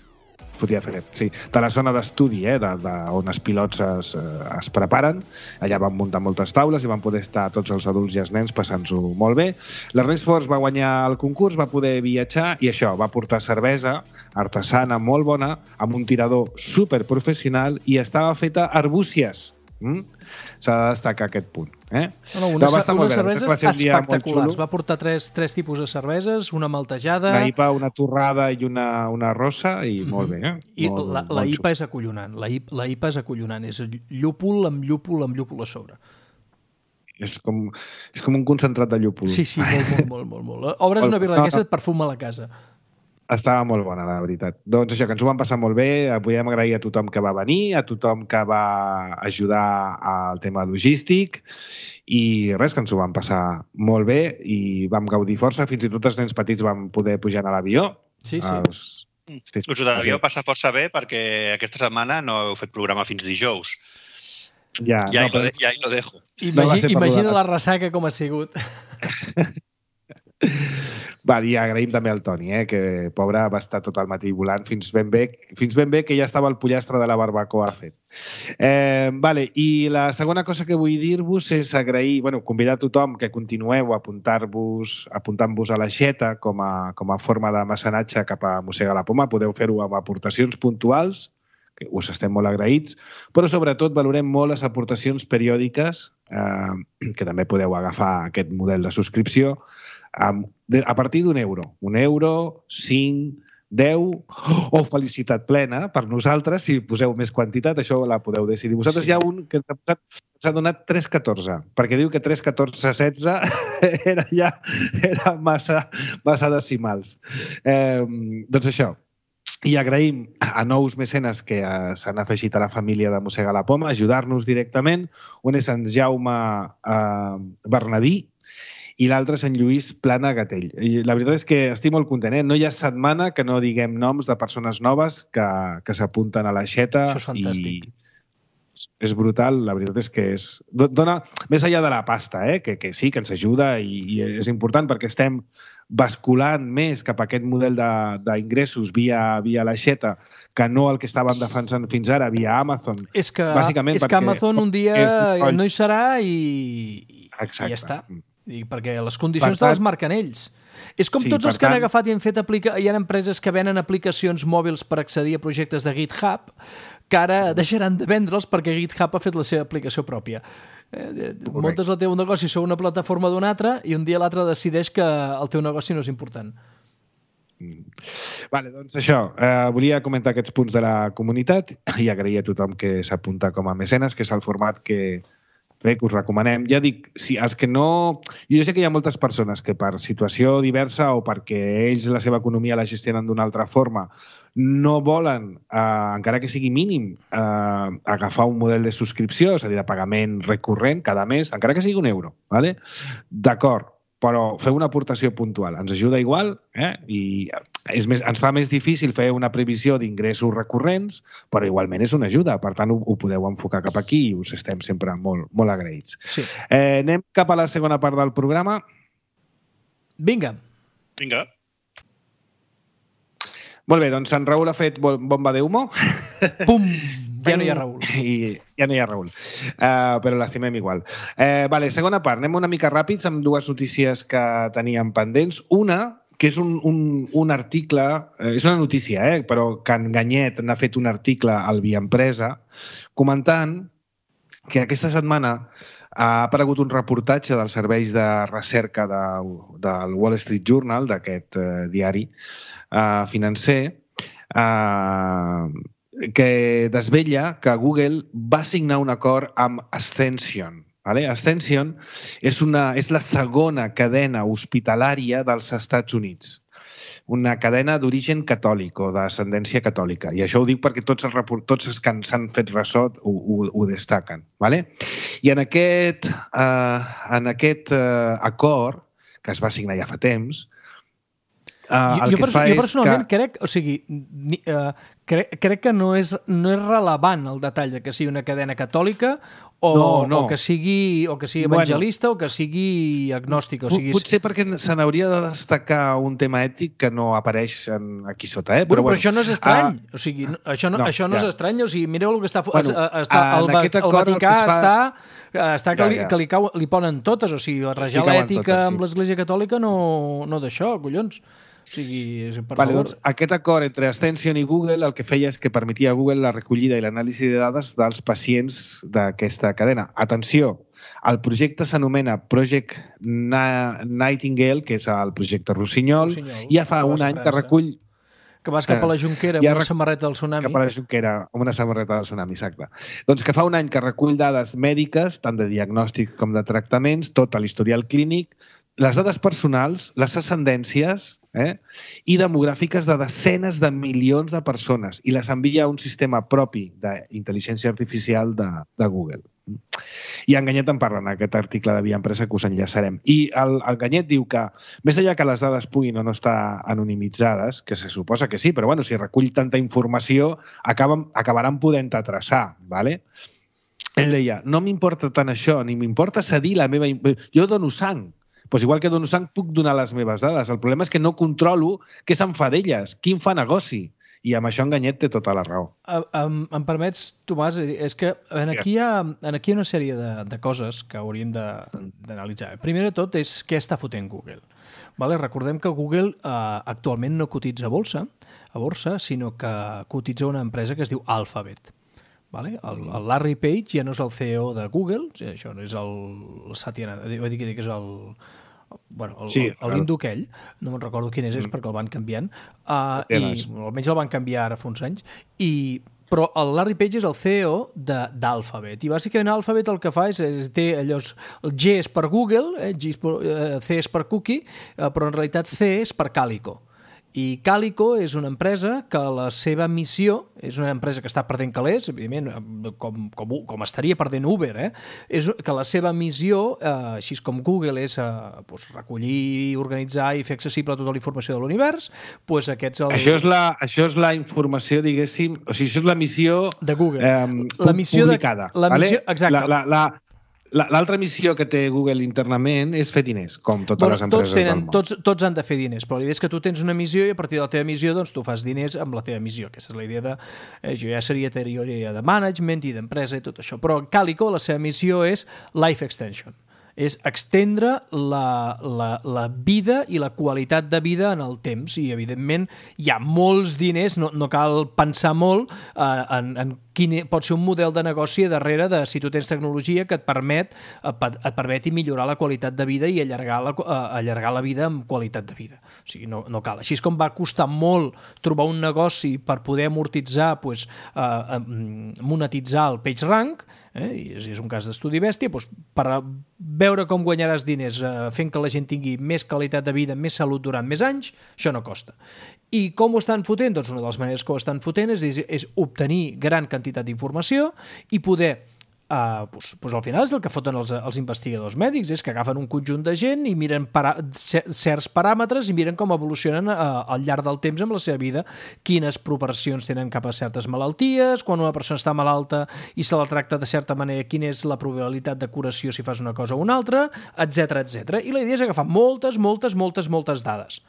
fotia fred, sí. De la zona d'estudi, eh, de, de, on els pilots es, es preparen. Allà van muntar moltes taules i van poder estar tots els adults i els nens passant-s'ho molt bé. L'Ernest Force va guanyar el concurs, va poder viatjar i això, va portar cervesa artesana molt bona, amb un tirador superprofessional i estava feta a arbúcies. Mm? S'ha de destacar aquest punt. Eh? No, no, una, no, va unes cerveses va espectaculars. Va portar tres, tres tipus de cerveses, una maltejada... Una I P A, una torrada i una, una rosa, i mm-hmm. molt bé. Eh? I molt, la, la I P A és acollonant. La I, la I P A és acollonant. És llúpol amb llúpol amb llúpol a sobre. És com, és com un concentrat de llúpol. Sí, sí, molt, molt, molt. molt, molt. Obres una birra d'aquesta, et perfuma a la casa. Estava molt bona, la veritat. Doncs això, que ens ho vam passar molt bé. Podem agrair a tothom que va venir, a tothom que va ajudar al tema logístic i res, que ens ho vam passar molt bé i vam gaudir força. Fins i tot els nens petits vam poder pujar a l'avió. Sí, sí. Els... sí, sí. Us ho devíeu passar força bé perquè aquesta setmana no heu fet programa fins dijous. Ja, ja, no, hi, lo de, ja hi lo dejo. Imagina, no imagina la ressaca com ha sigut. Va, i agraïm també al Toni, eh, que pobre va estar tot el matí volant fins ben bé, fins ben bé que ja estava el pollastre de la barbacoa fet. Eh, vale, i la segona cosa que vull dir-vos és agrair, bueno, convidar a tothom que continueu a apuntar-vos, apuntant-vos a l'aixeta com a, com a forma de mecenatge cap a Mossega la Poma. Podeu fer-ho amb aportacions puntuals, que us estem molt agraïts, però sobretot valorem molt les aportacions periòdiques, eh, que també podeu agafar aquest model de subscripció, a partir d'un euro. Un euro, cinc, deu o felicitat plena per nosaltres. Si poseu més quantitat, això la podeu decidir. Vosaltres sí. Hi ha un que ens ha donat tres coma catorze, perquè diu que tres coma catorze setze era ja era massa, massa decimals. Eh, doncs això. I agraïm a nous mecenes que s'han afegit a la família de Mossega la Poma, ajudar-nos directament. Un és en Jaume eh, Bernadí, i l'altre és en Lluís Plana Gatell. I la veritat és que estic molt content, eh? No hi ha setmana que no diguem noms de persones noves que, que s'apunten a l'aixeta. Això és fantàstic. I és brutal, la veritat és que és... Dona, més enllà de la pasta, eh? que, que sí, que ens ajuda i, i és important perquè estem basculant més cap a aquest model d'ingressos via, via l'aixeta que no el que estàvem defensant fins ara via Amazon. És que, és que Amazon un dia no hi serà i, i ja està. I perquè les condicions te les marquen ells. És com sí, tots els que han tant... agafat i han fet aplica... hi ha empreses que venen aplicacions mòbils per accedir a projectes de GitHub que ara deixaran de vendre'ls perquè GitHub ha fet la seva aplicació pròpia. Eh, muntes el teu negoci sobre una plataforma d'un altre i un dia l'altre decideix que el teu negoci no és important. Vale, doncs això, eh, volia comentar aquests punts de la comunitat i agrair a tothom que s'apunta com a mecenes, que és el format que bé, que us recomanem. Ja dic, si els que no... Jo sé que hi ha moltes persones que per situació diversa o perquè ells la seva economia la gestionen d'una altra forma no volen, eh, encara que sigui mínim, eh, agafar un model de subscripció, és a dir, de pagament recurrent cada mes, encara que sigui un euro. ¿Vale? D'acord, però feu una aportació puntual. Ens ajuda igual, eh? I és més, ens fa més difícil fer una previsió d'ingressos recurrents, però igualment és una ajuda. Per tant, ho, ho podeu enfocar cap aquí i us estem sempre molt, molt agraïts. Sí. Eh, anem cap a la segona part del programa. Vinga. Vinga. Molt bé, doncs en Raül ha fet bomba de humo. Pum! Ja no hi ha Raül. I ja no hi ha Raül. Uh, però l'estimem igual. Uh, vale, segona part. Anem una mica ràpids amb dues notícies que teníem pendents. Una, que és un, un, un article, eh, és una notícia, eh, però que en Ganyet n'ha fet un article al Via Empresa comentant que aquesta setmana ha aparegut un reportatge dels serveis de recerca de, del Wall Street Journal, d'aquest eh, diari eh, financer, eh, que desvella que Google va signar un acord amb Ascension. Vale? Ascension és, una, és la segona cadena hospitalària dels Estats Units. Una cadena d'origen catòlic o d'ascendència catòlica. I això ho dic perquè tots els, tots els que s'han fet ressò ho, ho, ho destaquen. Vale? I en aquest, eh, en aquest eh, acord, que es va signar ja fa temps, Uh, jo, jo, perso jo personalment que... crec, o sigui, uh, crec, crec que no és, no és relevant el detall de que sigui una cadena catòlica o, no, no. o que sigui, o que sigui evangelista bueno, o que sigui agnòstica. O sigui, potser perquè se n'hauria de destacar un tema ètic que no apareix en, aquí sota. Eh? Bueno, però, però bueno, això no és estrany. Uh, o sigui, no, això no, no, això no ja. és estrany. O sigui, mireu el que està... Bueno, està el, el, el Vaticà fa... està, està que, ja, ja. Li, que li, cau, li ponen totes. O sigui, barrejar l'ètica sí. amb l'Església Catòlica no, no d'això, collons. O sigui, per vale, favor. Doncs, aquest acord entre Ascension i Google el que feia és que permetia a Google la recollida i l'anàlisi de dades dels pacients d'aquesta cadena. Atenció, el projecte s'anomena Project Nightingale, que és el projecte Rossinyol, Rossinyol i ja fa un any que recull... Que vas cap a la Jonquera amb una samarreta del tsunami. Cap a la Jonquera amb una samarreta del tsunami, exacte. Doncs que fa un any que recull dades mèdiques, tant de diagnòstic com de tractaments, tot l'historial clínic, les dades personals, les ascendències eh, i demogràfiques de desenes de milions de persones i les envia a un sistema propi d'intel·ligència artificial de, de Google. I en Ganyet en parla en aquest article de Via Empresa que us enllaçarem. I el, el Ganyet diu que, més enllà que les dades puguin o no estar anonimitzades, que se suposa que sí, però bueno, si recull tanta informació acaben, acabaran podent-te traçar, ¿vale? Ell deia, no m'importa tant això, ni m'importa cedir la meva... Jo dono sang, pues igual que dono sang puc donar les meves dades. El problema és que no controlo què se'n fa d'elles, qui en fa negoci. I amb això en Ganyet té tota la raó. Uh, um, em permets, Tomàs, és que en aquí hi ha, en aquí hi ha una sèrie de, de coses que hauríem d'analitzar. Primer de tot és què està fotent Google. Vale? Recordem que Google uh, actualment no cotitza a borsa, a borsa, sinó que cotitza una empresa que es diu Alphabet. Vale? El, el Larry Page ja no és el C E O de Google, això no és el Satya, vull dir que és el... Bueno, el, sí, el, l'hindú aquell, no me'n recordo quin és, és perquè el van canviant, uh, i almenys el van canviar ara fa uns anys, i, però el Larry Page és el C E O d'Alphabet, i bàsicament Alphabet el que fa és, és té allò, el G és per Google, eh, G és per, eh, C és per Cookie, eh, però en realitat C és per Calico. I Calico és una empresa que la seva missió, és una empresa que està perdent calés, evidentment, com, com, com estaria perdent Uber, eh? És que la seva missió, eh, així com Google, és eh, pues, recollir, organitzar i fer accessible tota la informació de l'univers, pues aquests... El... Això, és la, això és la informació, diguéssim, o sigui, això és la missió de Google. Eh, la missió publicada. De, la missió, vale? Exacte. La, la, la, L'altra missió que té Google internament és fer diners, com totes bueno, les empreses tots tenen, del món. Tots, tots han de fer diners, però l'idea és que tu tens una missió i a partir de la teva missió doncs, tu fas diners amb la teva missió. Aquesta és la idea de... Eh, jo ja seria teoria de management i d'empresa i tot això. Però Calico, la seva missió és life extension. És extendre la, la, la vida i la qualitat de vida en el temps. I, evidentment, hi ha molts diners, no, no cal pensar molt eh, en, en quin pot ser un model de negoci darrere de si tu tens tecnologia que et permet et permeti millorar la qualitat de vida i allargar la, allargar la vida amb qualitat de vida. O sigui, no, no cal. Així com va costar molt trobar un negoci per poder amortitzar, pues, eh, monetitzar el PageRank, eh, i és, és un cas d'estudi bèstia, doncs, per veure com guanyaràs diners eh, fent que la gent tingui més qualitat de vida, més salut durant més anys, això no costa. I com ho estan fotent? Doncs una de les maneres que ho estan fotent és, és, és obtenir gran quantitat d'informació i poder, eh, doncs, doncs al final és el que foten els, els investigadors mèdics, és que agafen un conjunt de gent i miren para, certs paràmetres i miren com evolucionen eh, al llarg del temps amb la seva vida, quines proporcions tenen cap a certes malalties, quan una persona està malalta i se la tracta de certa manera, quina és la probabilitat de curació si fas una cosa o una altra, etcètera, etcètera. I la idea és agafar moltes, moltes, moltes, moltes dades.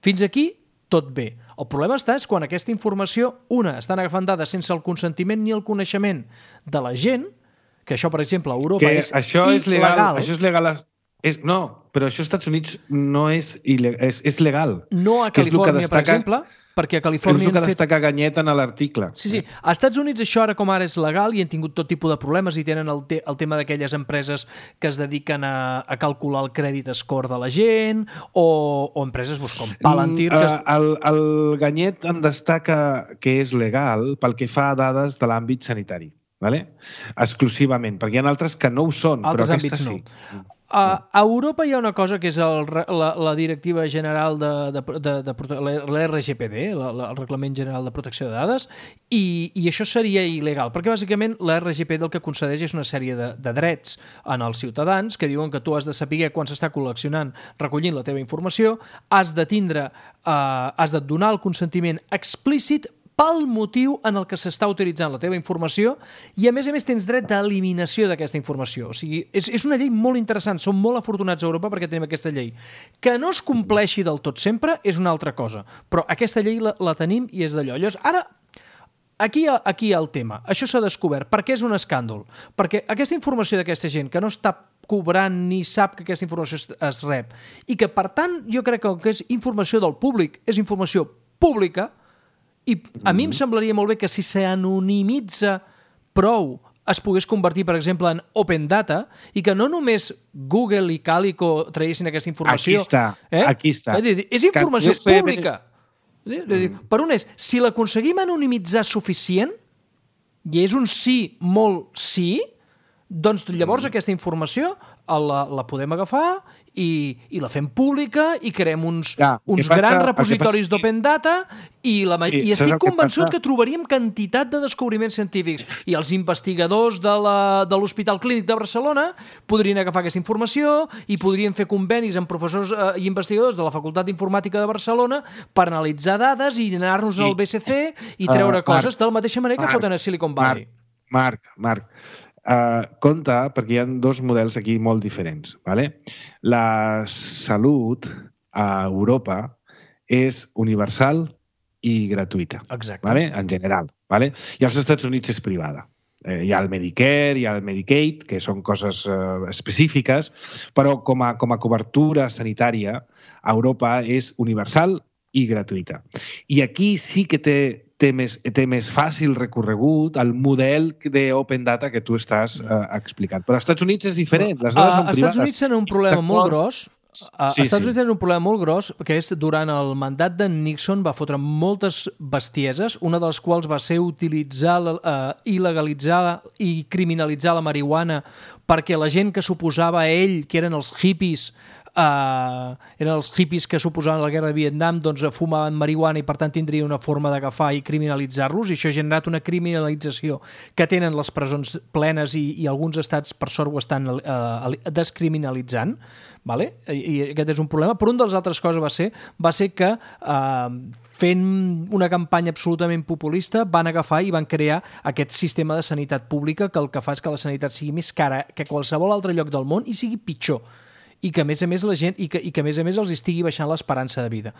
Fins aquí tot bé. El problema està és quan aquesta informació, una, estan agafant dades sense el consentiment ni el coneixement de la gent, que això, per exemple, a Europa que és això il·legal. És legal, això és legal... És, no, però això als Estats Units no és, il·legal, és, és legal. No a Califòrnia, destaca, per exemple, perquè a Califòrnia... És el que destaca fet... Ganyet en l'article. Sí, sí. Als Estats Units això ara com ara és legal i han tingut tot tipus de problemes i tenen el, te el tema d'aquelles empreses que es dediquen a, a calcular el crèdit score de la gent o, o empreses pues, com Palantir... Que es... el, el Ganyet en destaca que és legal pel que fa a dades de l'àmbit sanitari. Vale? Exclusivament, perquè hi ha altres que no ho són, altres però aquesta no. sí. A, a Europa hi ha una cosa que és el, la, la Directiva General de, de, de, de l'R G P D, la, la, el Reglament General de Protecció de Dades, i, i això seria il·legal, perquè bàsicament l'R G P D el que concedeix és una sèrie de, de drets en els ciutadans que diuen que tu has de saber quan s'està col·leccionant, recollint la teva informació, has de tindre, eh, has de donar el consentiment explícit pel motiu en el que s'està utilitzant la teva informació i, a més a més, tens dret d'eliminació d'aquesta informació. O sigui, és, és una llei molt interessant. Som molt afortunats a Europa perquè tenim aquesta llei. Que no es compleixi del tot sempre és una altra cosa, però aquesta llei la, la tenim i és d'allò. Llavors, ara, aquí, aquí hi ha el tema. Això s'ha descobert. Per què és un escàndol? Perquè aquesta informació d'aquesta gent que no està cobrant ni sap que aquesta informació es, es rep i que, per tant, jo crec que el que és informació del públic és informació pública. I a mi em semblaria molt bé que si s'anonimitza prou es pogués convertir, per exemple, en open data i que no només Google i Calico traguessin aquesta informació. Aquí està, eh? aquí està. És, és informació que pública. Mm. Per un és, si l'aconseguim anonimitzar suficient, i és un sí molt sí, doncs llavors mm. aquesta informació la, la podem agafar i, i la fem pública i creem uns, ja, uns passa, grans repositoris passa... d'open data i, la, sí, i estic convençut que, passa... que trobaríem quantitat de descobriments científics i els investigadors de l'Hospital Clínic de Barcelona podrien agafar aquesta informació i podrien fer convenis amb professors eh, i investigadors de la Facultat d'Informàtica de Barcelona per analitzar dades i anar-nos al B C C i treure uh, coses Marc, de la mateixa manera Marc, que foten a Silicon Valley. Marc, Marc, Marc. Uh, compte, perquè hi ha dos models aquí molt diferents. Vale? La salut a Europa és universal i gratuïta. Exacte. Vale? En general. Vale? I als Estats Units és privada. Eh, hi ha el Medicare, hi ha el Medicaid, que són coses uh, específiques, però com a, com a cobertura sanitària a Europa és universal i gratuïta. I aquí sí que té té més, té més fàcil recorregut al model d'open data que tu estàs uh, explicant. Però als Estats Units és diferent, les dades uh, són privades. Als Estats Units tenen un problema molt gros. Sí, als Estats Units sí. tenen un problema molt gros, que és durant el mandat de Nixon va fotre moltes bestieses, una de les quals va ser utilitzar, uh, il·legalitzar i criminalitzar la marihuana perquè la gent que s'oposava a ell, que eren els hippies, Uh, eren els hippies que suposaven la guerra de Vietnam, doncs fumaven marihuana i per tant tindria una forma d'agafar i criminalitzar-los, i això ha generat una criminalització que tenen les presons plenes i, i alguns estats per sort ho estan uh, descriminalitzant, vale? I, i aquest és un problema. Però una de les altres coses va ser, va ser que uh, fent una campanya absolutament populista van agafar i van crear aquest sistema de sanitat pública que el que fa és que la sanitat sigui més cara que qualsevol altre lloc del món i sigui pitjor. I que a més a més la gent i que, i que a més a més els estigui baixant l'esperança de vida.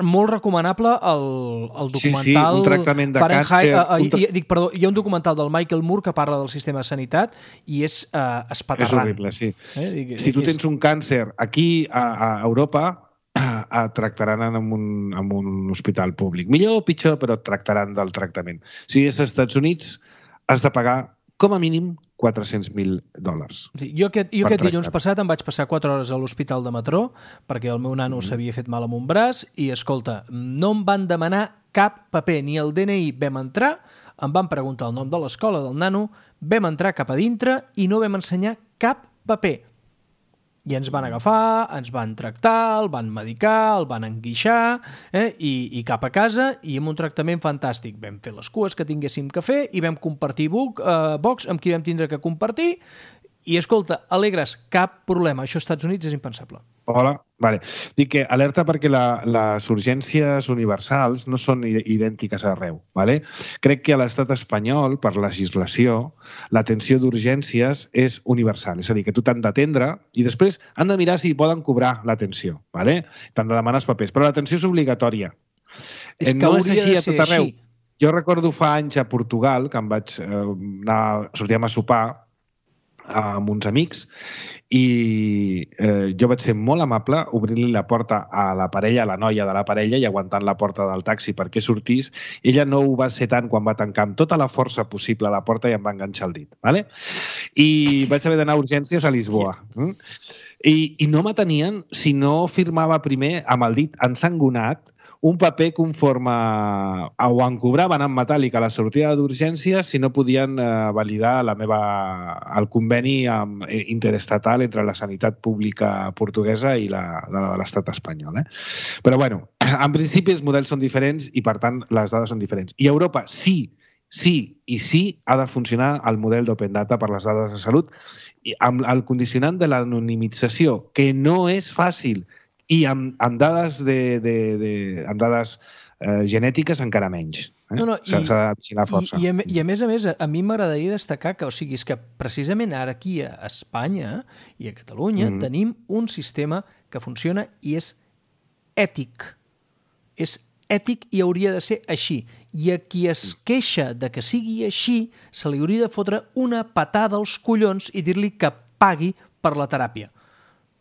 Molt recomanable el, el documental sí, sí, un tractament de Fahrenheit, càncer, uh, un tra... i, dic, perdó, hi ha un documental del Michael Moore que parla del sistema de sanitat i és uh, espaterrant. És horrible, sí. Eh? I, si tu és... tens un càncer aquí a, a Europa et tractaran en un, en un hospital públic. Millor o pitjor, però et tractaran del tractament. Si és als Estats Units, has de pagar com a mínim quatre-cents mil dòlars. Sí, jo aquest, jo aquest dilluns passat em vaig passar quatre hores a l'hospital de Matró perquè el meu nano mm. s'havia fet mal amb un braç i, escolta, no em van demanar cap paper, ni el D N I. Vam entrar, em van preguntar el nom de l'escola del nano, vam entrar cap a dintre i no vam ensenyar cap paper. I ens van agafar, ens van tractar, el van medicar, el van enguixar, eh? I, i cap a casa, i amb un tractament fantàstic. Vam fer les cues que tinguéssim que fer i vam compartir boc, eh, box amb qui vam tindre que compartir. I, escolta, alegres, cap problema. Això als Estats Units és impensable. Hola, vale. Dic que alerta perquè la, les urgències universals no són idèntiques arreu. Vale? Crec que a l'estat espanyol, per legislació, l'atenció d'urgències és universal. És a dir, que tu t'han d'atendre i després han de mirar si poden cobrar l'atenció. Vale? T'han de demanar els papers. Però l'atenció és obligatòria. És que no hauria és així de a ser tot arreu. així. Jo recordo fa anys a Portugal, que em vaig eh, anar, sortíem a sopar amb uns amics i eh, jo vaig ser molt amable obrint-li la porta a la parella, a la noia de la parella i aguantant la porta del taxi perquè sortís. Ella no ho va ser tant quan va tancar amb tota la força possible a la porta i em va enganxar el dit. ¿vale? I vaig haver d'anar a urgències a Lisboa. Mm? I, I no m'atenien si no firmava primer amb el dit ensangonat un paper conforme o em cobraven en metàl·lic a la sortida d'urgències si no podien eh, validar la meva, el conveni amb, eh, interestatal entre la sanitat pública portuguesa i la, la de l'estat espanyol. Eh? Però, bueno, en principi els models són diferents i, per tant, les dades són diferents. I a Europa sí, sí i sí ha de funcionar el model d'Open Data per les dades de salut i amb el condicionant de l'anonimització, que no és fàcil, i amb, amb dades, de, de, de, amb dades eh, genètiques encara menys. Eh? No, no, S'ha de vigilar força. I, i, a, I a més a més, a mi m'agradaria destacar que, o sigui, és que precisament ara aquí a Espanya i a Catalunya mm. tenim un sistema que funciona i és ètic. És ètic i hauria de ser així. I a qui es queixa de que sigui així, se li hauria de fotre una patada als collons i dir-li que pagui per la teràpia.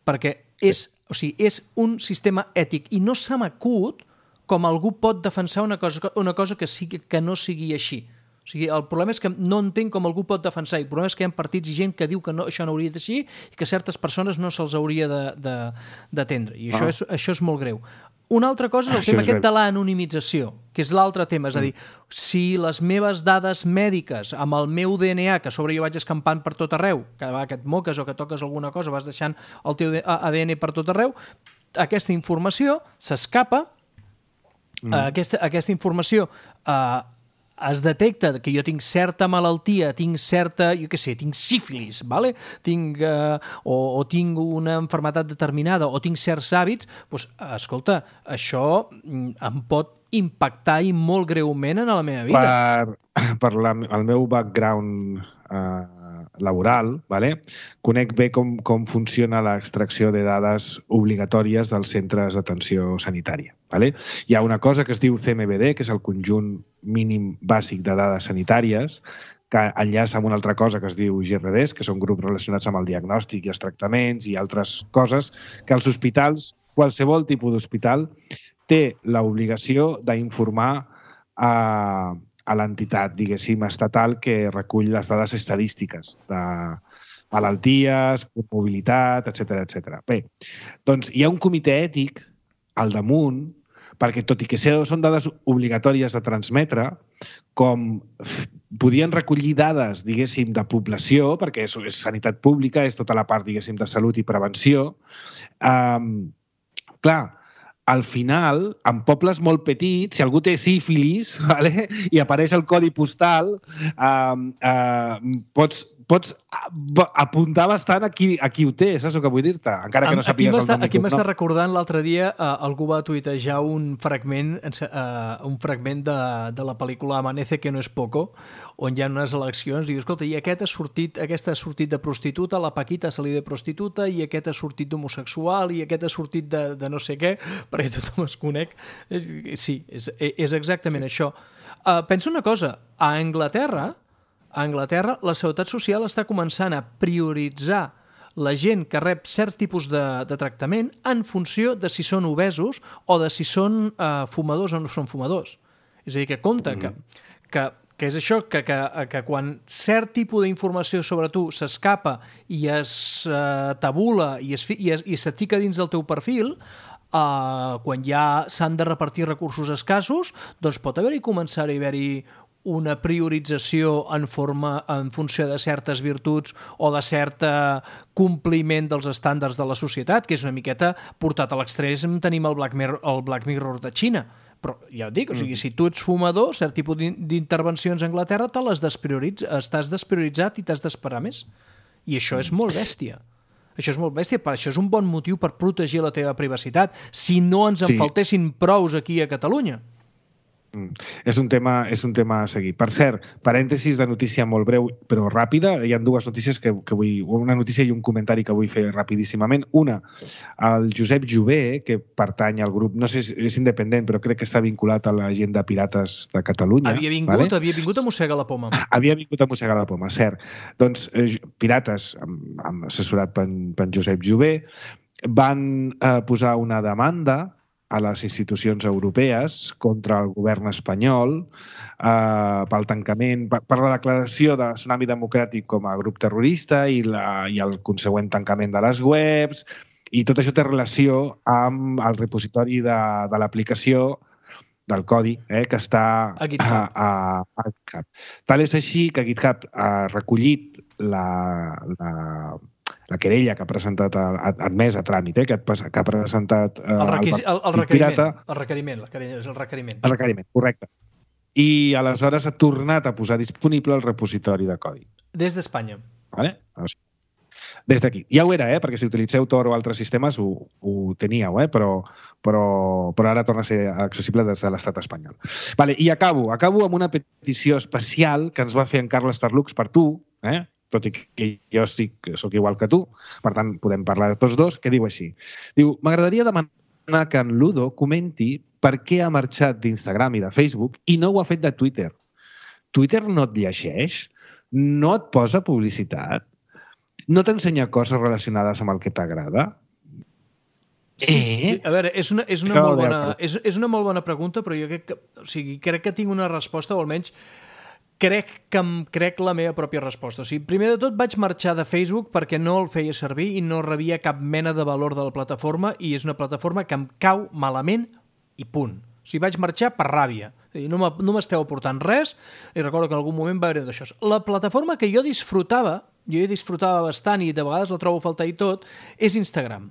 Perquè és, o sigui, és un sistema ètic i no se m'acut com algú pot defensar una cosa, una cosa que, sigui, que no sigui així. O sigui, el problema és que no entenc com algú pot defensar, i el problema és que hi ha partits i gent que diu que no, això no hauria de ser i que certes persones no se'ls hauria d'atendre. I això, ah. és, això és molt greu. Una altra cosa és el això tema és aquest de l'anonimització, que és l'altre tema. És a dir, si les meves dades mèdiques amb el meu D N A, que a sobre jo vaig escampant per tot arreu, que, va, que et moques o que toques alguna cosa, vas deixant el teu A D N per tot arreu, aquesta informació s'escapa, mm. aquesta, aquesta informació eh, es detecta que jo tinc certa malaltia, tinc certa, jo què sé, tinc sífilis, vale? tinc, eh, o, o tinc una malaltia determinada, o tinc certs hàbits, doncs, escolta, això em pot impactar i molt greument en la meva vida. Per, per la, el meu background eh, laboral, vale? Conec bé com, com funciona l'extracció de dades obligatòries dels centres d'atenció sanitària. Vale? Hi ha una cosa que es diu C M B D, que és el conjunt mínim bàsic de dades sanitàries, que enllaça amb una altra cosa que es diu G R Ds, que són grups relacionats amb el diagnòstic i els tractaments i altres coses, que els hospitals, qualsevol tipus d'hospital, té l'obligació d'informar a, a l'entitat, diguéssim, estatal que recull les dades estadístiques de malalties, mobilitat, etcètera, etcètera. Bé, doncs hi ha un comitè ètic al damunt, perquè tot i que són dades obligatòries de transmetre, com podien recollir dades, diguéssim, de població, perquè és, és sanitat pública, és tota la part, diguéssim, de salut i prevenció, um, clar, al final, en pobles molt petits, si algú té sífilis, vale? I apareix el codi postal, um, uh, pots pots apuntar bastant a qui, a qui ho té, saps el que vull dir-te? Encara que no sàpigues el nom. Aquí m'està recordant l'altre dia, uh, algú va tuitejar un fragment, uh, un fragment de, de la pel·lícula Amanece que no es poco, on hi ha unes eleccions, i diu, escolta, i aquest ha sortit, aquesta ha sortit de prostituta, la Paquita se li de prostituta, i aquest ha sortit d'homosexual, i aquest ha sortit de, de no sé què, perquè tothom es conec. Sí, és, és exactament això. Uh, pensa una cosa, a Anglaterra, A Anglaterra, la Seguretat Social està començant a prioritzar la gent que rep cert tipus de, de tractament en funció de si són obesos o de si són eh, fumadors o no són fumadors. És a dir, que compte mm. que, que, que és això, que, que, que quan cert tipus d'informació sobre tu s'escapa i es eh, tabula i, es, i, es, i se't fica dins del teu perfil, eh, quan ja s'han de repartir recursos escassos, doncs pot haver-hi començar a haver-hi una priorització en forma en funció de certes virtuts o de cert compliment dels estàndards de la societat, que és una miqueta portat a l'extrem. Tenim el Black Mirror, el Black Mirror de Xina. Però ja ho dic, o sigui, si tu ets fumador, cert tipus d'intervencions a Anglaterra te les desprioritza, estàs desprioritzat i t'has d'esperar més. I això és molt bèstia. Això és molt bèstia, per això és un bon motiu per protegir la teva privacitat, si no ens en sí. faltessin prous aquí a Catalunya. Mm. És un tema, és un tema a seguir. Per cert, parèntesis de notícia molt breu però ràpida. Hi ha dues notícies que, que vull... Una notícia i un comentari que vull fer rapidíssimament. Una, el Josep Jové, que pertany al grup, no sé si és independent, però crec que està vinculat a la gent de Pirates de Catalunya. Havia vingut, vale? havia vingut a mossegar la poma. Havia vingut a mossegar la poma, cert. Doncs eh, Pirates, amb, amb assessorat per, per Josep Jové, van eh, posar una demanda a les institucions europees contra el govern espanyol eh, pel tancament, per, per la declaració de Tsunami Democràtic com a grup terrorista i, la, i el consegüent tancament de les webs, i tot això té relació amb el repositori de, de l'aplicació del codi eh, que està a GitHub. A, a, a GitHub. Tal és així que GitHub ha recollit la, la, la querella que ha presentat, ha admès a tràmit, eh, que, que ha presentat eh, el, requisi, el, el, requeriment, pirata. el requeriment, el requeriment. El requeriment, correcte. I aleshores ha tornat a posar disponible el repositori de codi. Des d'Espanya. Vale? Des d'aquí. Ja ho era, eh? Perquè si utilitzeu Tor o altres sistemes ho, ho teníeu, eh? però, però, però ara torna a ser accessible des de l'estat espanyol. Vale, i acabo. Acabo amb una petició especial que ens va fer en Carles Tarlux per tu, eh? tot i que jo estic, soc igual que tu, per tant podem parlar de tots dos, que diu així. Diu, m'agradaria demanar que en Ludo comenti per què ha marxat d'Instagram i de Facebook i no ho ha fet de Twitter. Twitter no et llegeix? No et posa publicitat? No t'ensenya coses relacionades amb el que t'agrada? Sí, sí, sí. A veure, és una, és, una molt bona, és, és una molt bona pregunta, però jo crec que, o sigui, crec que tinc una resposta, o almenys crec que em crec la meva pròpia resposta. O sigui, primer de tot vaig marxar de Facebook perquè no el feia servir i no rebia cap mena de valor de la plataforma i és una plataforma que em cau malament i punt. O sigui, vaig marxar per ràbia. No m'esteu aportant res i recordo que en algun moment va haver d'això. La plataforma que jo disfrutava, jo hi disfrutava bastant i de vegades la trobo a faltar i tot, és Instagram.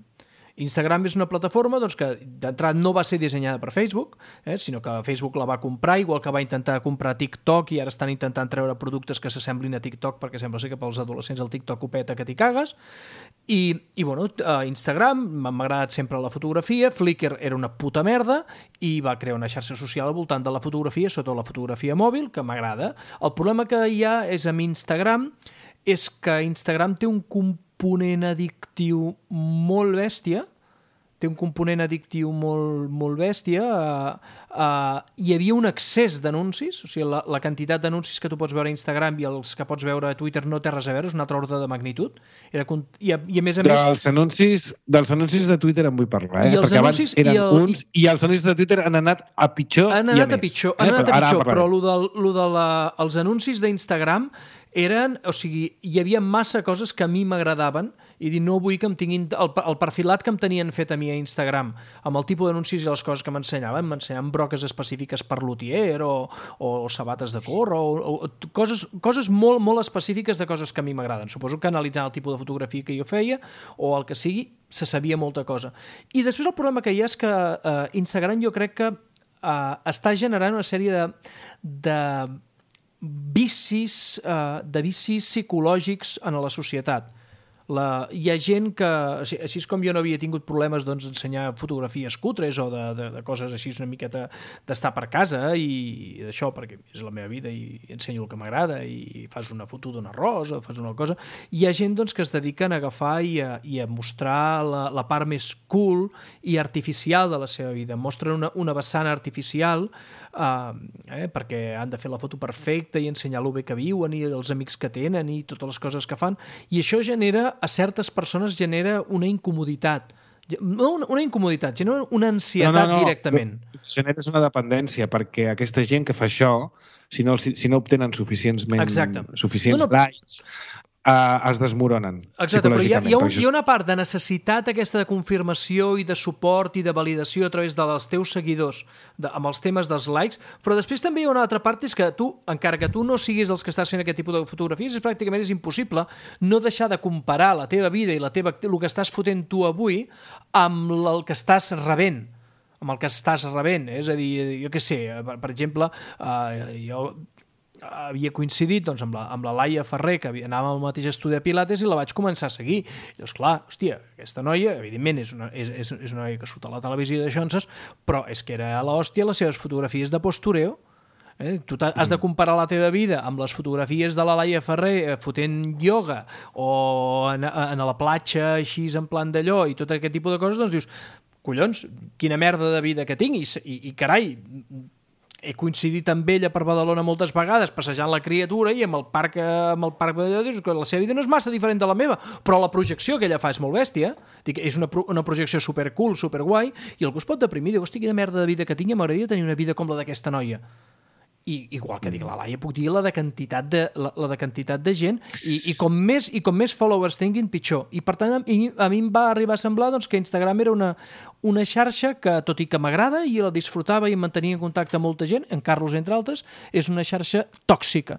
Instagram és una plataforma doncs, que d'entrada no va ser dissenyada per Facebook, eh, sinó que Facebook la va comprar, igual que va intentar comprar TikTok i ara estan intentant treure productes que s'assemblin a TikTok perquè sembla ser que pels adolescents el TikTok ho peta que t'hi cagues. I, i bueno, Instagram m'ha agradat sempre la fotografia, Flickr era una puta merda i va crear una xarxa social al voltant de la fotografia, sobretot la fotografia mòbil, que m'agrada. El problema que hi ha és amb Instagram és que Instagram té un component addictiu molt bèstia, té un component addictiu molt, molt bèstia. Uh, uh, hi havia un excés d'anuncis, o sigui, la, la quantitat d'anuncis que tu pots veure a Instagram i els que pots veure a Twitter no té res a veure, és un altre ordre de magnitud. Era, i, a, I a més a més... Dels anuncis, dels anuncis de Twitter en vull parlar, eh? perquè abans eren i el, uns i els anuncis de Twitter han anat a pitjor han i a, anat a més. Pitjor, eh? Han anat a pitjor, però el de, lo de la, els anuncis d'Instagram eren, o sigui, hi havia massa coses que a mi m'agradaven i dir, no vull que em tinguin el, el perfilat que em tenien fet a mi a Instagram amb el tipus d'anuncis i les coses que m'ensenyaven, m'ensenyaven broques específiques per lutier o, o, o sabates de córrer o, o coses, coses molt, molt específiques de coses que a mi m'agraden. Suposo que analitzant el tipus de fotografia que jo feia o el que sigui, se sabia molta cosa. I després el problema que hi ha és que uh, Instagram jo crec que uh, està generant una sèrie de, de vicis, uh, de vicis psicològics en la societat. La, hi ha gent que, així com jo no havia tingut problemes doncs, d'ensenyar fotografies cutres o de, de, de coses així una miqueta d'estar per casa i d'això, perquè és la meva vida i ensenyo el que m'agrada i fas una foto d'un arròs o fas una cosa, hi ha gent doncs, que es dediquen a agafar i a, i a mostrar la, la part més cool i artificial de la seva vida. Mostren una, una vessant artificial Uh, eh, perquè han de fer la foto perfecta i ensenyar lo bé que viuen i els amics que tenen i totes les coses que fan, i això genera, a certes persones genera una incomoditat, no una, una incomoditat, genera una ansietat no, no, no. directament. Generes una dependència, perquè aquesta gent que fa això, si no, si, si no obtenen suficientment, suficients no, no. likes, Uh, es desmoronen. Exacte, però hi ha, hi, ha un, hi ha una part de necessitat aquesta de confirmació i de suport i de validació a través dels teus seguidors de, amb els temes dels likes, però després també hi ha una altra part, és que tu, encara que tu no siguis dels que estàs fent aquest tipus de fotografies, és pràcticament és impossible no deixar de comparar la teva vida i la teva, el que estàs fotent tu avui amb el que estàs rebent amb el que estàs rebent, és a dir, jo què sé, per, per exemple, uh, jo havia coincidit doncs, amb, la, amb la Laia Ferrer, que anava al mateix estudi de Pilates, i la vaig començar a seguir. I llavors, clar, hòstia, aquesta noia, evidentment, és una, és, és, és una noia que surt a la televisió de Johnson, però és que era a l'hòstia les seves fotografies de postureo. Eh? Tu has de comparar la teva vida amb les fotografies de la Laia Ferrer fotent ioga o en, en la platja així en plan d'allò i tot aquest tipus de coses, doncs dius, collons, quina merda de vida que tinc i, i, i carai, he coincidit amb ella per Badalona moltes vegades passejant la criatura i amb el parc, amb el parc d'allò, dius que la seva vida no és massa diferent de la meva, però la projecció que ella fa és molt bèstia. Dic, és una, una projecció supercool, superguai, i algú es pot deprimir, diu, hosti, quina merda de vida que tinc, m'agradaria tenir una vida com la d'aquesta noia. I igual que dic la Laia, puc dir la de quantitat de, la, la de, quantitat de gent i, i, com més, i com més followers tinguin, pitjor. I per tant, a mi, a mi em va arribar a semblar doncs, que Instagram era una, una xarxa que, tot i que m'agrada i la disfrutava i em mantenia en contacte amb molta gent, en Carlos entre altres, és una xarxa tòxica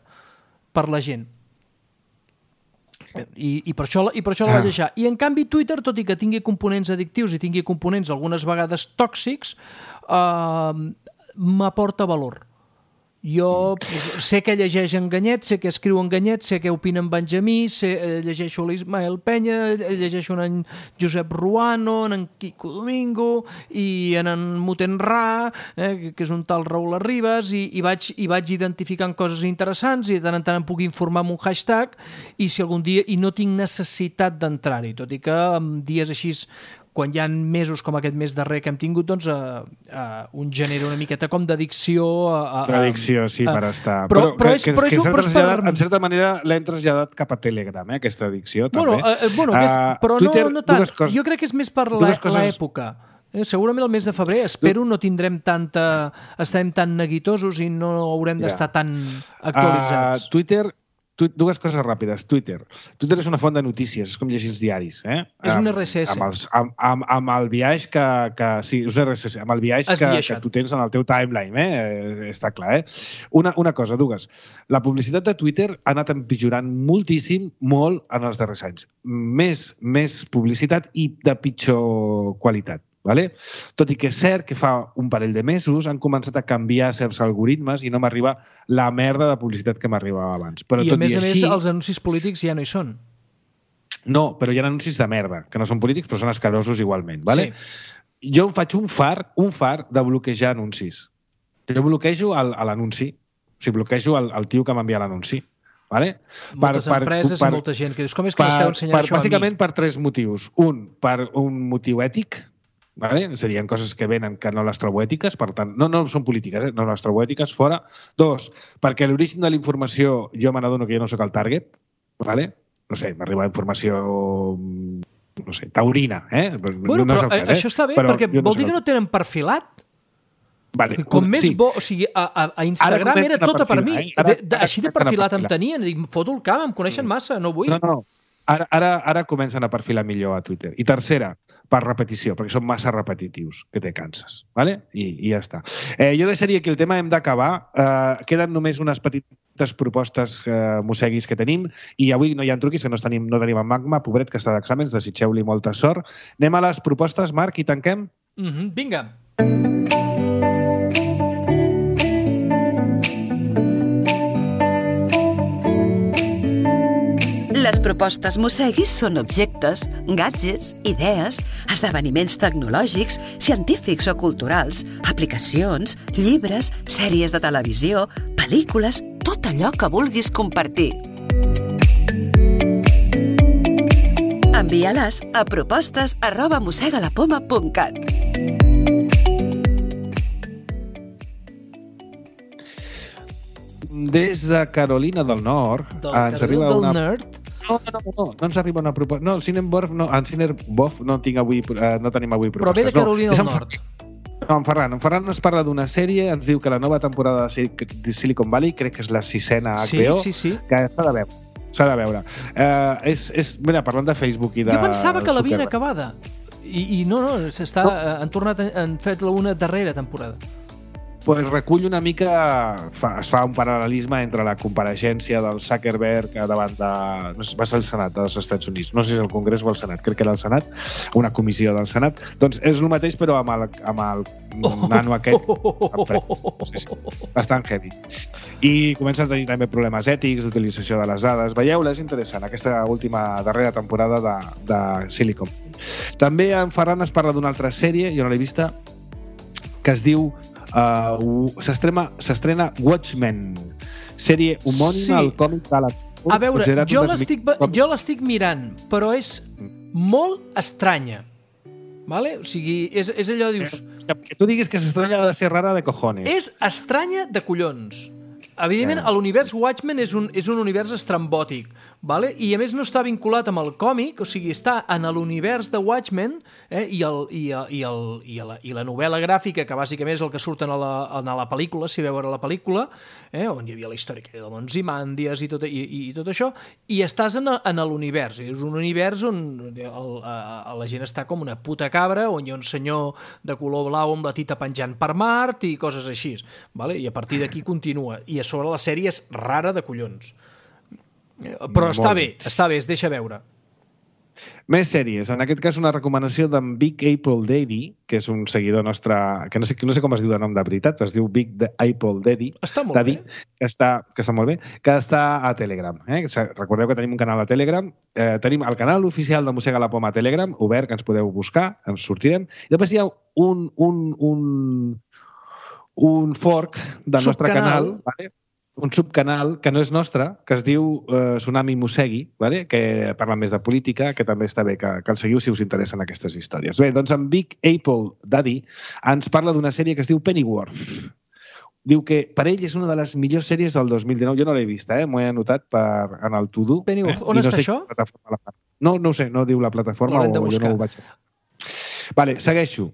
per la gent. I, i per això, i per això la vaig deixar. I en canvi Twitter, tot i que tingui components addictius i tingui components algunes vegades tòxics, eh, m'aporta valor. Jo sé que llegeix en Ganyet, sé que escriu en Ganyet, sé que opina en Benjamí, sé, llegeixo l'Ismael Penya, llegeixo en Josep Ruano, en Quico Domingo i en en Mutenrà, eh, que és un tal Raül Arribas, i, i, vaig, i vaig identificant coses interessants i de tant en tant em puc informar amb un hashtag i si algun dia, i no tinc necessitat d'entrar-hi, tot i que en dies així quan hi ha mesos com aquest mes darrer que hem tingut, doncs uh, uh, un genera una miqueta com d'addicció. Uh, D'addicció, sí, uh, per estar. Però, però, però, és, que, però, que, és, que però és per... en certa manera l'hem traslladat cap a Telegram, eh, aquesta addicció, també. Bueno, uh, bueno uh, és, però Twitter, no, no tant. Coses, jo crec que és més per l'època. Eh, segurament el mes de febrer, espero, no tindrem tanta... estarem tan neguitosos i no haurem d'estar yeah. tan actualitzats. Uh, Twitter... Dues coses ràpides. Twitter. Twitter és una font de notícies, és com llegir els diaris. Eh? És un R S S. Amb, els, amb, amb, amb el viatge que, que... Sí, és un R S S. Amb el viatge que, que tu tens en el teu timeline. Eh? Està clar, eh? Una, una cosa, dues. La publicitat de Twitter ha anat empitjorant moltíssim, molt, en els darrers anys. Més, més publicitat i de pitjor qualitat. Vale? Tot i que és cert que fa un parell de mesos han començat a canviar certs algoritmes i no m'arriba la merda de publicitat que m'arribava abans. Però I tot a més i a així, més els anuncis polítics ja no hi són. No, però hi ha anuncis de merda, que no són polítics però són escarosos igualment. Vale? Sí. Jo em faig un far, un far de bloquejar anuncis. Jo bloquejo l'anunci, o sigui, bloquejo el, el tio que m'envia l'anunci. Vale? Moltes per, empreses per, i molta gent que dius, com és que per, m'esteu ensenyant per, això a mi? Bàsicament per tres motius. Un, per un motiu ètic, vale? Serien coses que venen que no les trobo ètiques, per tant, no, no són polítiques, eh? No les trobo ètiques, fora. Dos, perquè l'origen de la informació jo me n'adono que jo no sóc el target, vale? No sé, m'arriba informació, no sé, taurina, eh? Bueno, no però cas, eh? Això està bé, però perquè vol no dir que no tenen perfilat. Vale, com més sí. bo, o sigui, a, a, a Instagram era tota per mi. Eh? Ara, de, de, així de perfilat em tenien. Dic, foto el camp, em coneixen massa, no vull. No, no, ara, ara, ara comencen a perfilar millor a Twitter. I tercera, per repetició, perquè són massa repetitius, que te canses. Vale? I, i ja està. Eh, jo deixaria que el tema hem d'acabar. Eh, queden només unes petites propostes eh, mosseguis que tenim i avui no hi ha truquis, que no tenim, no tenim en Magma, pobret que està d'exàmens, desitgeu-li molta sort. Anem a les propostes, Marc, i tanquem? Mm-hmm, vinga. Les propostes Mosseguis són objectes, gadgets, idees, esdeveniments tecnològics, científics o culturals, aplicacions, llibres, sèries de televisió, pel·lícules, tot allò que vulguis compartir. Envia-les a propostes arroba mossegalapoma punt cat. Des de Carolina del Nord del ens arriba del una... Nerd? No, no, no, no, no ens arriba una proposta. No, el Cineborf, no, en Cineborf no, tinc avui, eh, no tenim avui propostes. Però ve de Carolina no, del Nord. No, en Ferran. En Ferran ens parla d'una sèrie, ens diu que la nova temporada de Silicon Valley, crec que és la sisena H B O, sí, sí, sí. que s'ha de veure. S'ha de veure. Eh, és, és, mira, parlant de Facebook i de... Jo pensava que l'havien acabada. I, I no, no, s'està, no. Han tornat, han fet una darrera temporada. pues recull una mica, fa, es fa un paral·lelisme entre la compareixença del Zuckerberg davant de, no sé, va ser el Senat dels Estats Units, no sé si és el Congrés o el Senat, crec que era el Senat, una comissió del Senat, doncs és el mateix però amb el, amb el nano aquest, sí, sí, bastant heavy. I comença a tenir també problemes ètics d'utilització de les dades. Veieu-la, és interessant, aquesta última darrera temporada de, de Silicon. També en Ferran es parla d'una altra sèrie, jo no l'he vista, que es diu uh, s'estrena Watchmen, sèrie homònima sí. al còmic de la... A veure, jo l'estic, jo l'estic mirant, però és molt estranya. Vale? O sigui, és, és allò, dius... Que tu diguis que s'estranya ha de ser rara de cojones. És estranya de collons. Evidentment, eh. l'univers Watchmen és un, és un univers estrambòtic, vale? I a més no està vinculat amb el còmic, o sigui, està en l'univers de Watchmen eh? I, el, i, i, el, i, la, i la novel·la gràfica, que bàsicament és el que surt en la, en la pel·lícula, si veu veure la pel·lícula, eh? On hi havia la història de Ozymandias i tot, i, i, i tot això, i estàs en, en l'univers. És un univers on el, a, la gent està com una puta cabra, on hi ha un senyor de color blau amb la tita penjant per Mart i coses així, vale? I a partir d'aquí continua. I a sobre la sèrie és rara de collons. Però està bé, està bé, es deixa veure. Més sèries. En aquest cas, una recomanació d'en Big Apple Daddy, que és un seguidor nostre, que no sé, no sé com es diu de nom de veritat, es diu Big Apple Daddy. Està molt Daddy, bé. Que està, que està molt bé, que està a Telegram. Eh? Recordeu que tenim un canal a Telegram. Eh, tenim el canal oficial de Mossega la Poma a Telegram, obert, que ens podeu buscar, ens sortirem. I després hi ha un, un, un, un fork del nostre canal, vale? Un subcanal que no és nostre, que es diu eh, Tsunami Mossegui, vale? Que parla més de política, que també està bé que, que el seguiu si us interessen aquestes històries. Bé, doncs en Big Apple Daddy ens parla d'una sèrie que es diu Pennyworth. Diu que per ell és una de les millors sèries del dos mil dinou. Jo no l'he vista, eh? M'ho he anotat per, en el to-do. Pennyworth, eh? on no està això? No, no ho sé, no diu la plataforma o jo no ho vaig... Vale, segueixo.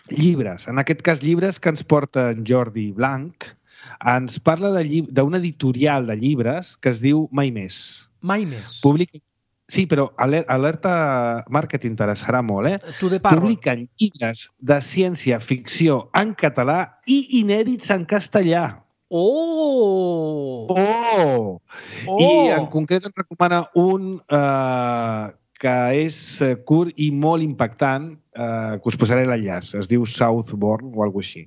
Llibres. En aquest cas, llibres que ens porta en Jordi Blanc. Ens parla d'una editorial de llibres que es diu Mai Més. Mai Més. Publica... Sí, però alerta Marc, que t'interessarà molt, eh? Tu de parlo. Publiquen llibres de ciència-ficció en català i inèdits en castellà. Oh! Oh! Oh! I en concret ens recomana un eh, que és curt i molt impactant, eh, que us posaré l'enllaç. Es diu Southbourne o alguna cosa així.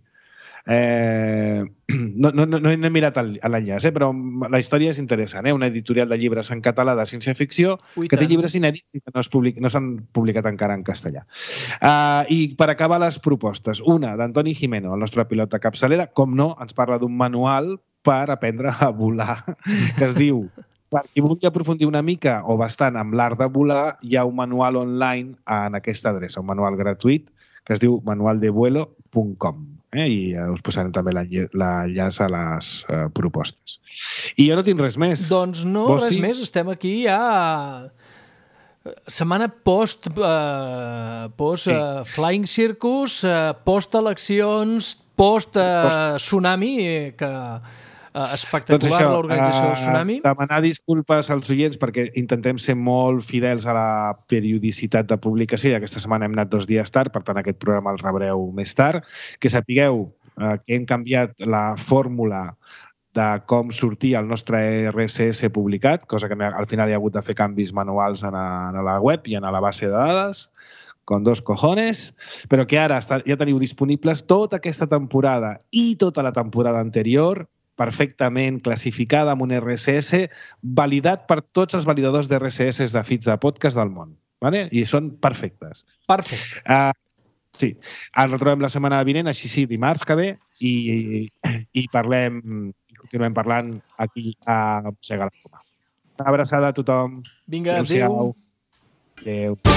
Eh, no, no, no he mirat l'enllaç, eh, però la història és interessant. Eh? Una editorial de llibres en català de ciència-ficció que té llibres inèdits i que no, public, no s'han publicat encara en castellà. Uh, I per acabar les propostes, una d'Antoni Jimeno, el nostre pilot de capçalera, com no, ens parla d'un manual per aprendre a volar, que es diu... Per qui vulgui aprofundir una mica o bastant amb l'art de volar, hi ha un manual online en aquesta adreça, un manual gratuït que es diu manual de vuelo punt com. Eh? I us posarem també l'enllaç a les uh, propostes. I jo no tinc res més. Doncs no, Vos res sí? més. Estem aquí ja... Setmana post, uh, post sí. uh, Flying Circus, uh, post eleccions, post, uh, post tsunami, que... Uh, espectacular, doncs l'organització uh, del tsunami. Demanar disculpes als oients perquè intentem ser molt fidels a la periodicitat de publicació i aquesta setmana hem anat dos dies tard, per tant aquest programa el rebreu més tard. Que sapigueu uh, que hem canviat la fórmula de com sortir el nostre R S S publicat, cosa que al final hi ha hagut de fer canvis manuals en a, en a la web i en a la base de dades, con dos cojones, però que ara està, ja teniu disponibles tota aquesta temporada i tota la temporada anterior perfectament classificada amb un R S S validat per tots els validadors d'R S S de feeds de podcast del món. ¿Vale? I són perfectes. Perfecte. Uh, sí. Ens retrobem la setmana vinent, així sí, dimarts que ve, i, i, i parlem, i continuem parlant aquí a Mossega la Poma. Una abraçada a tothom. Vinga, adéu. Adéu. Adéu.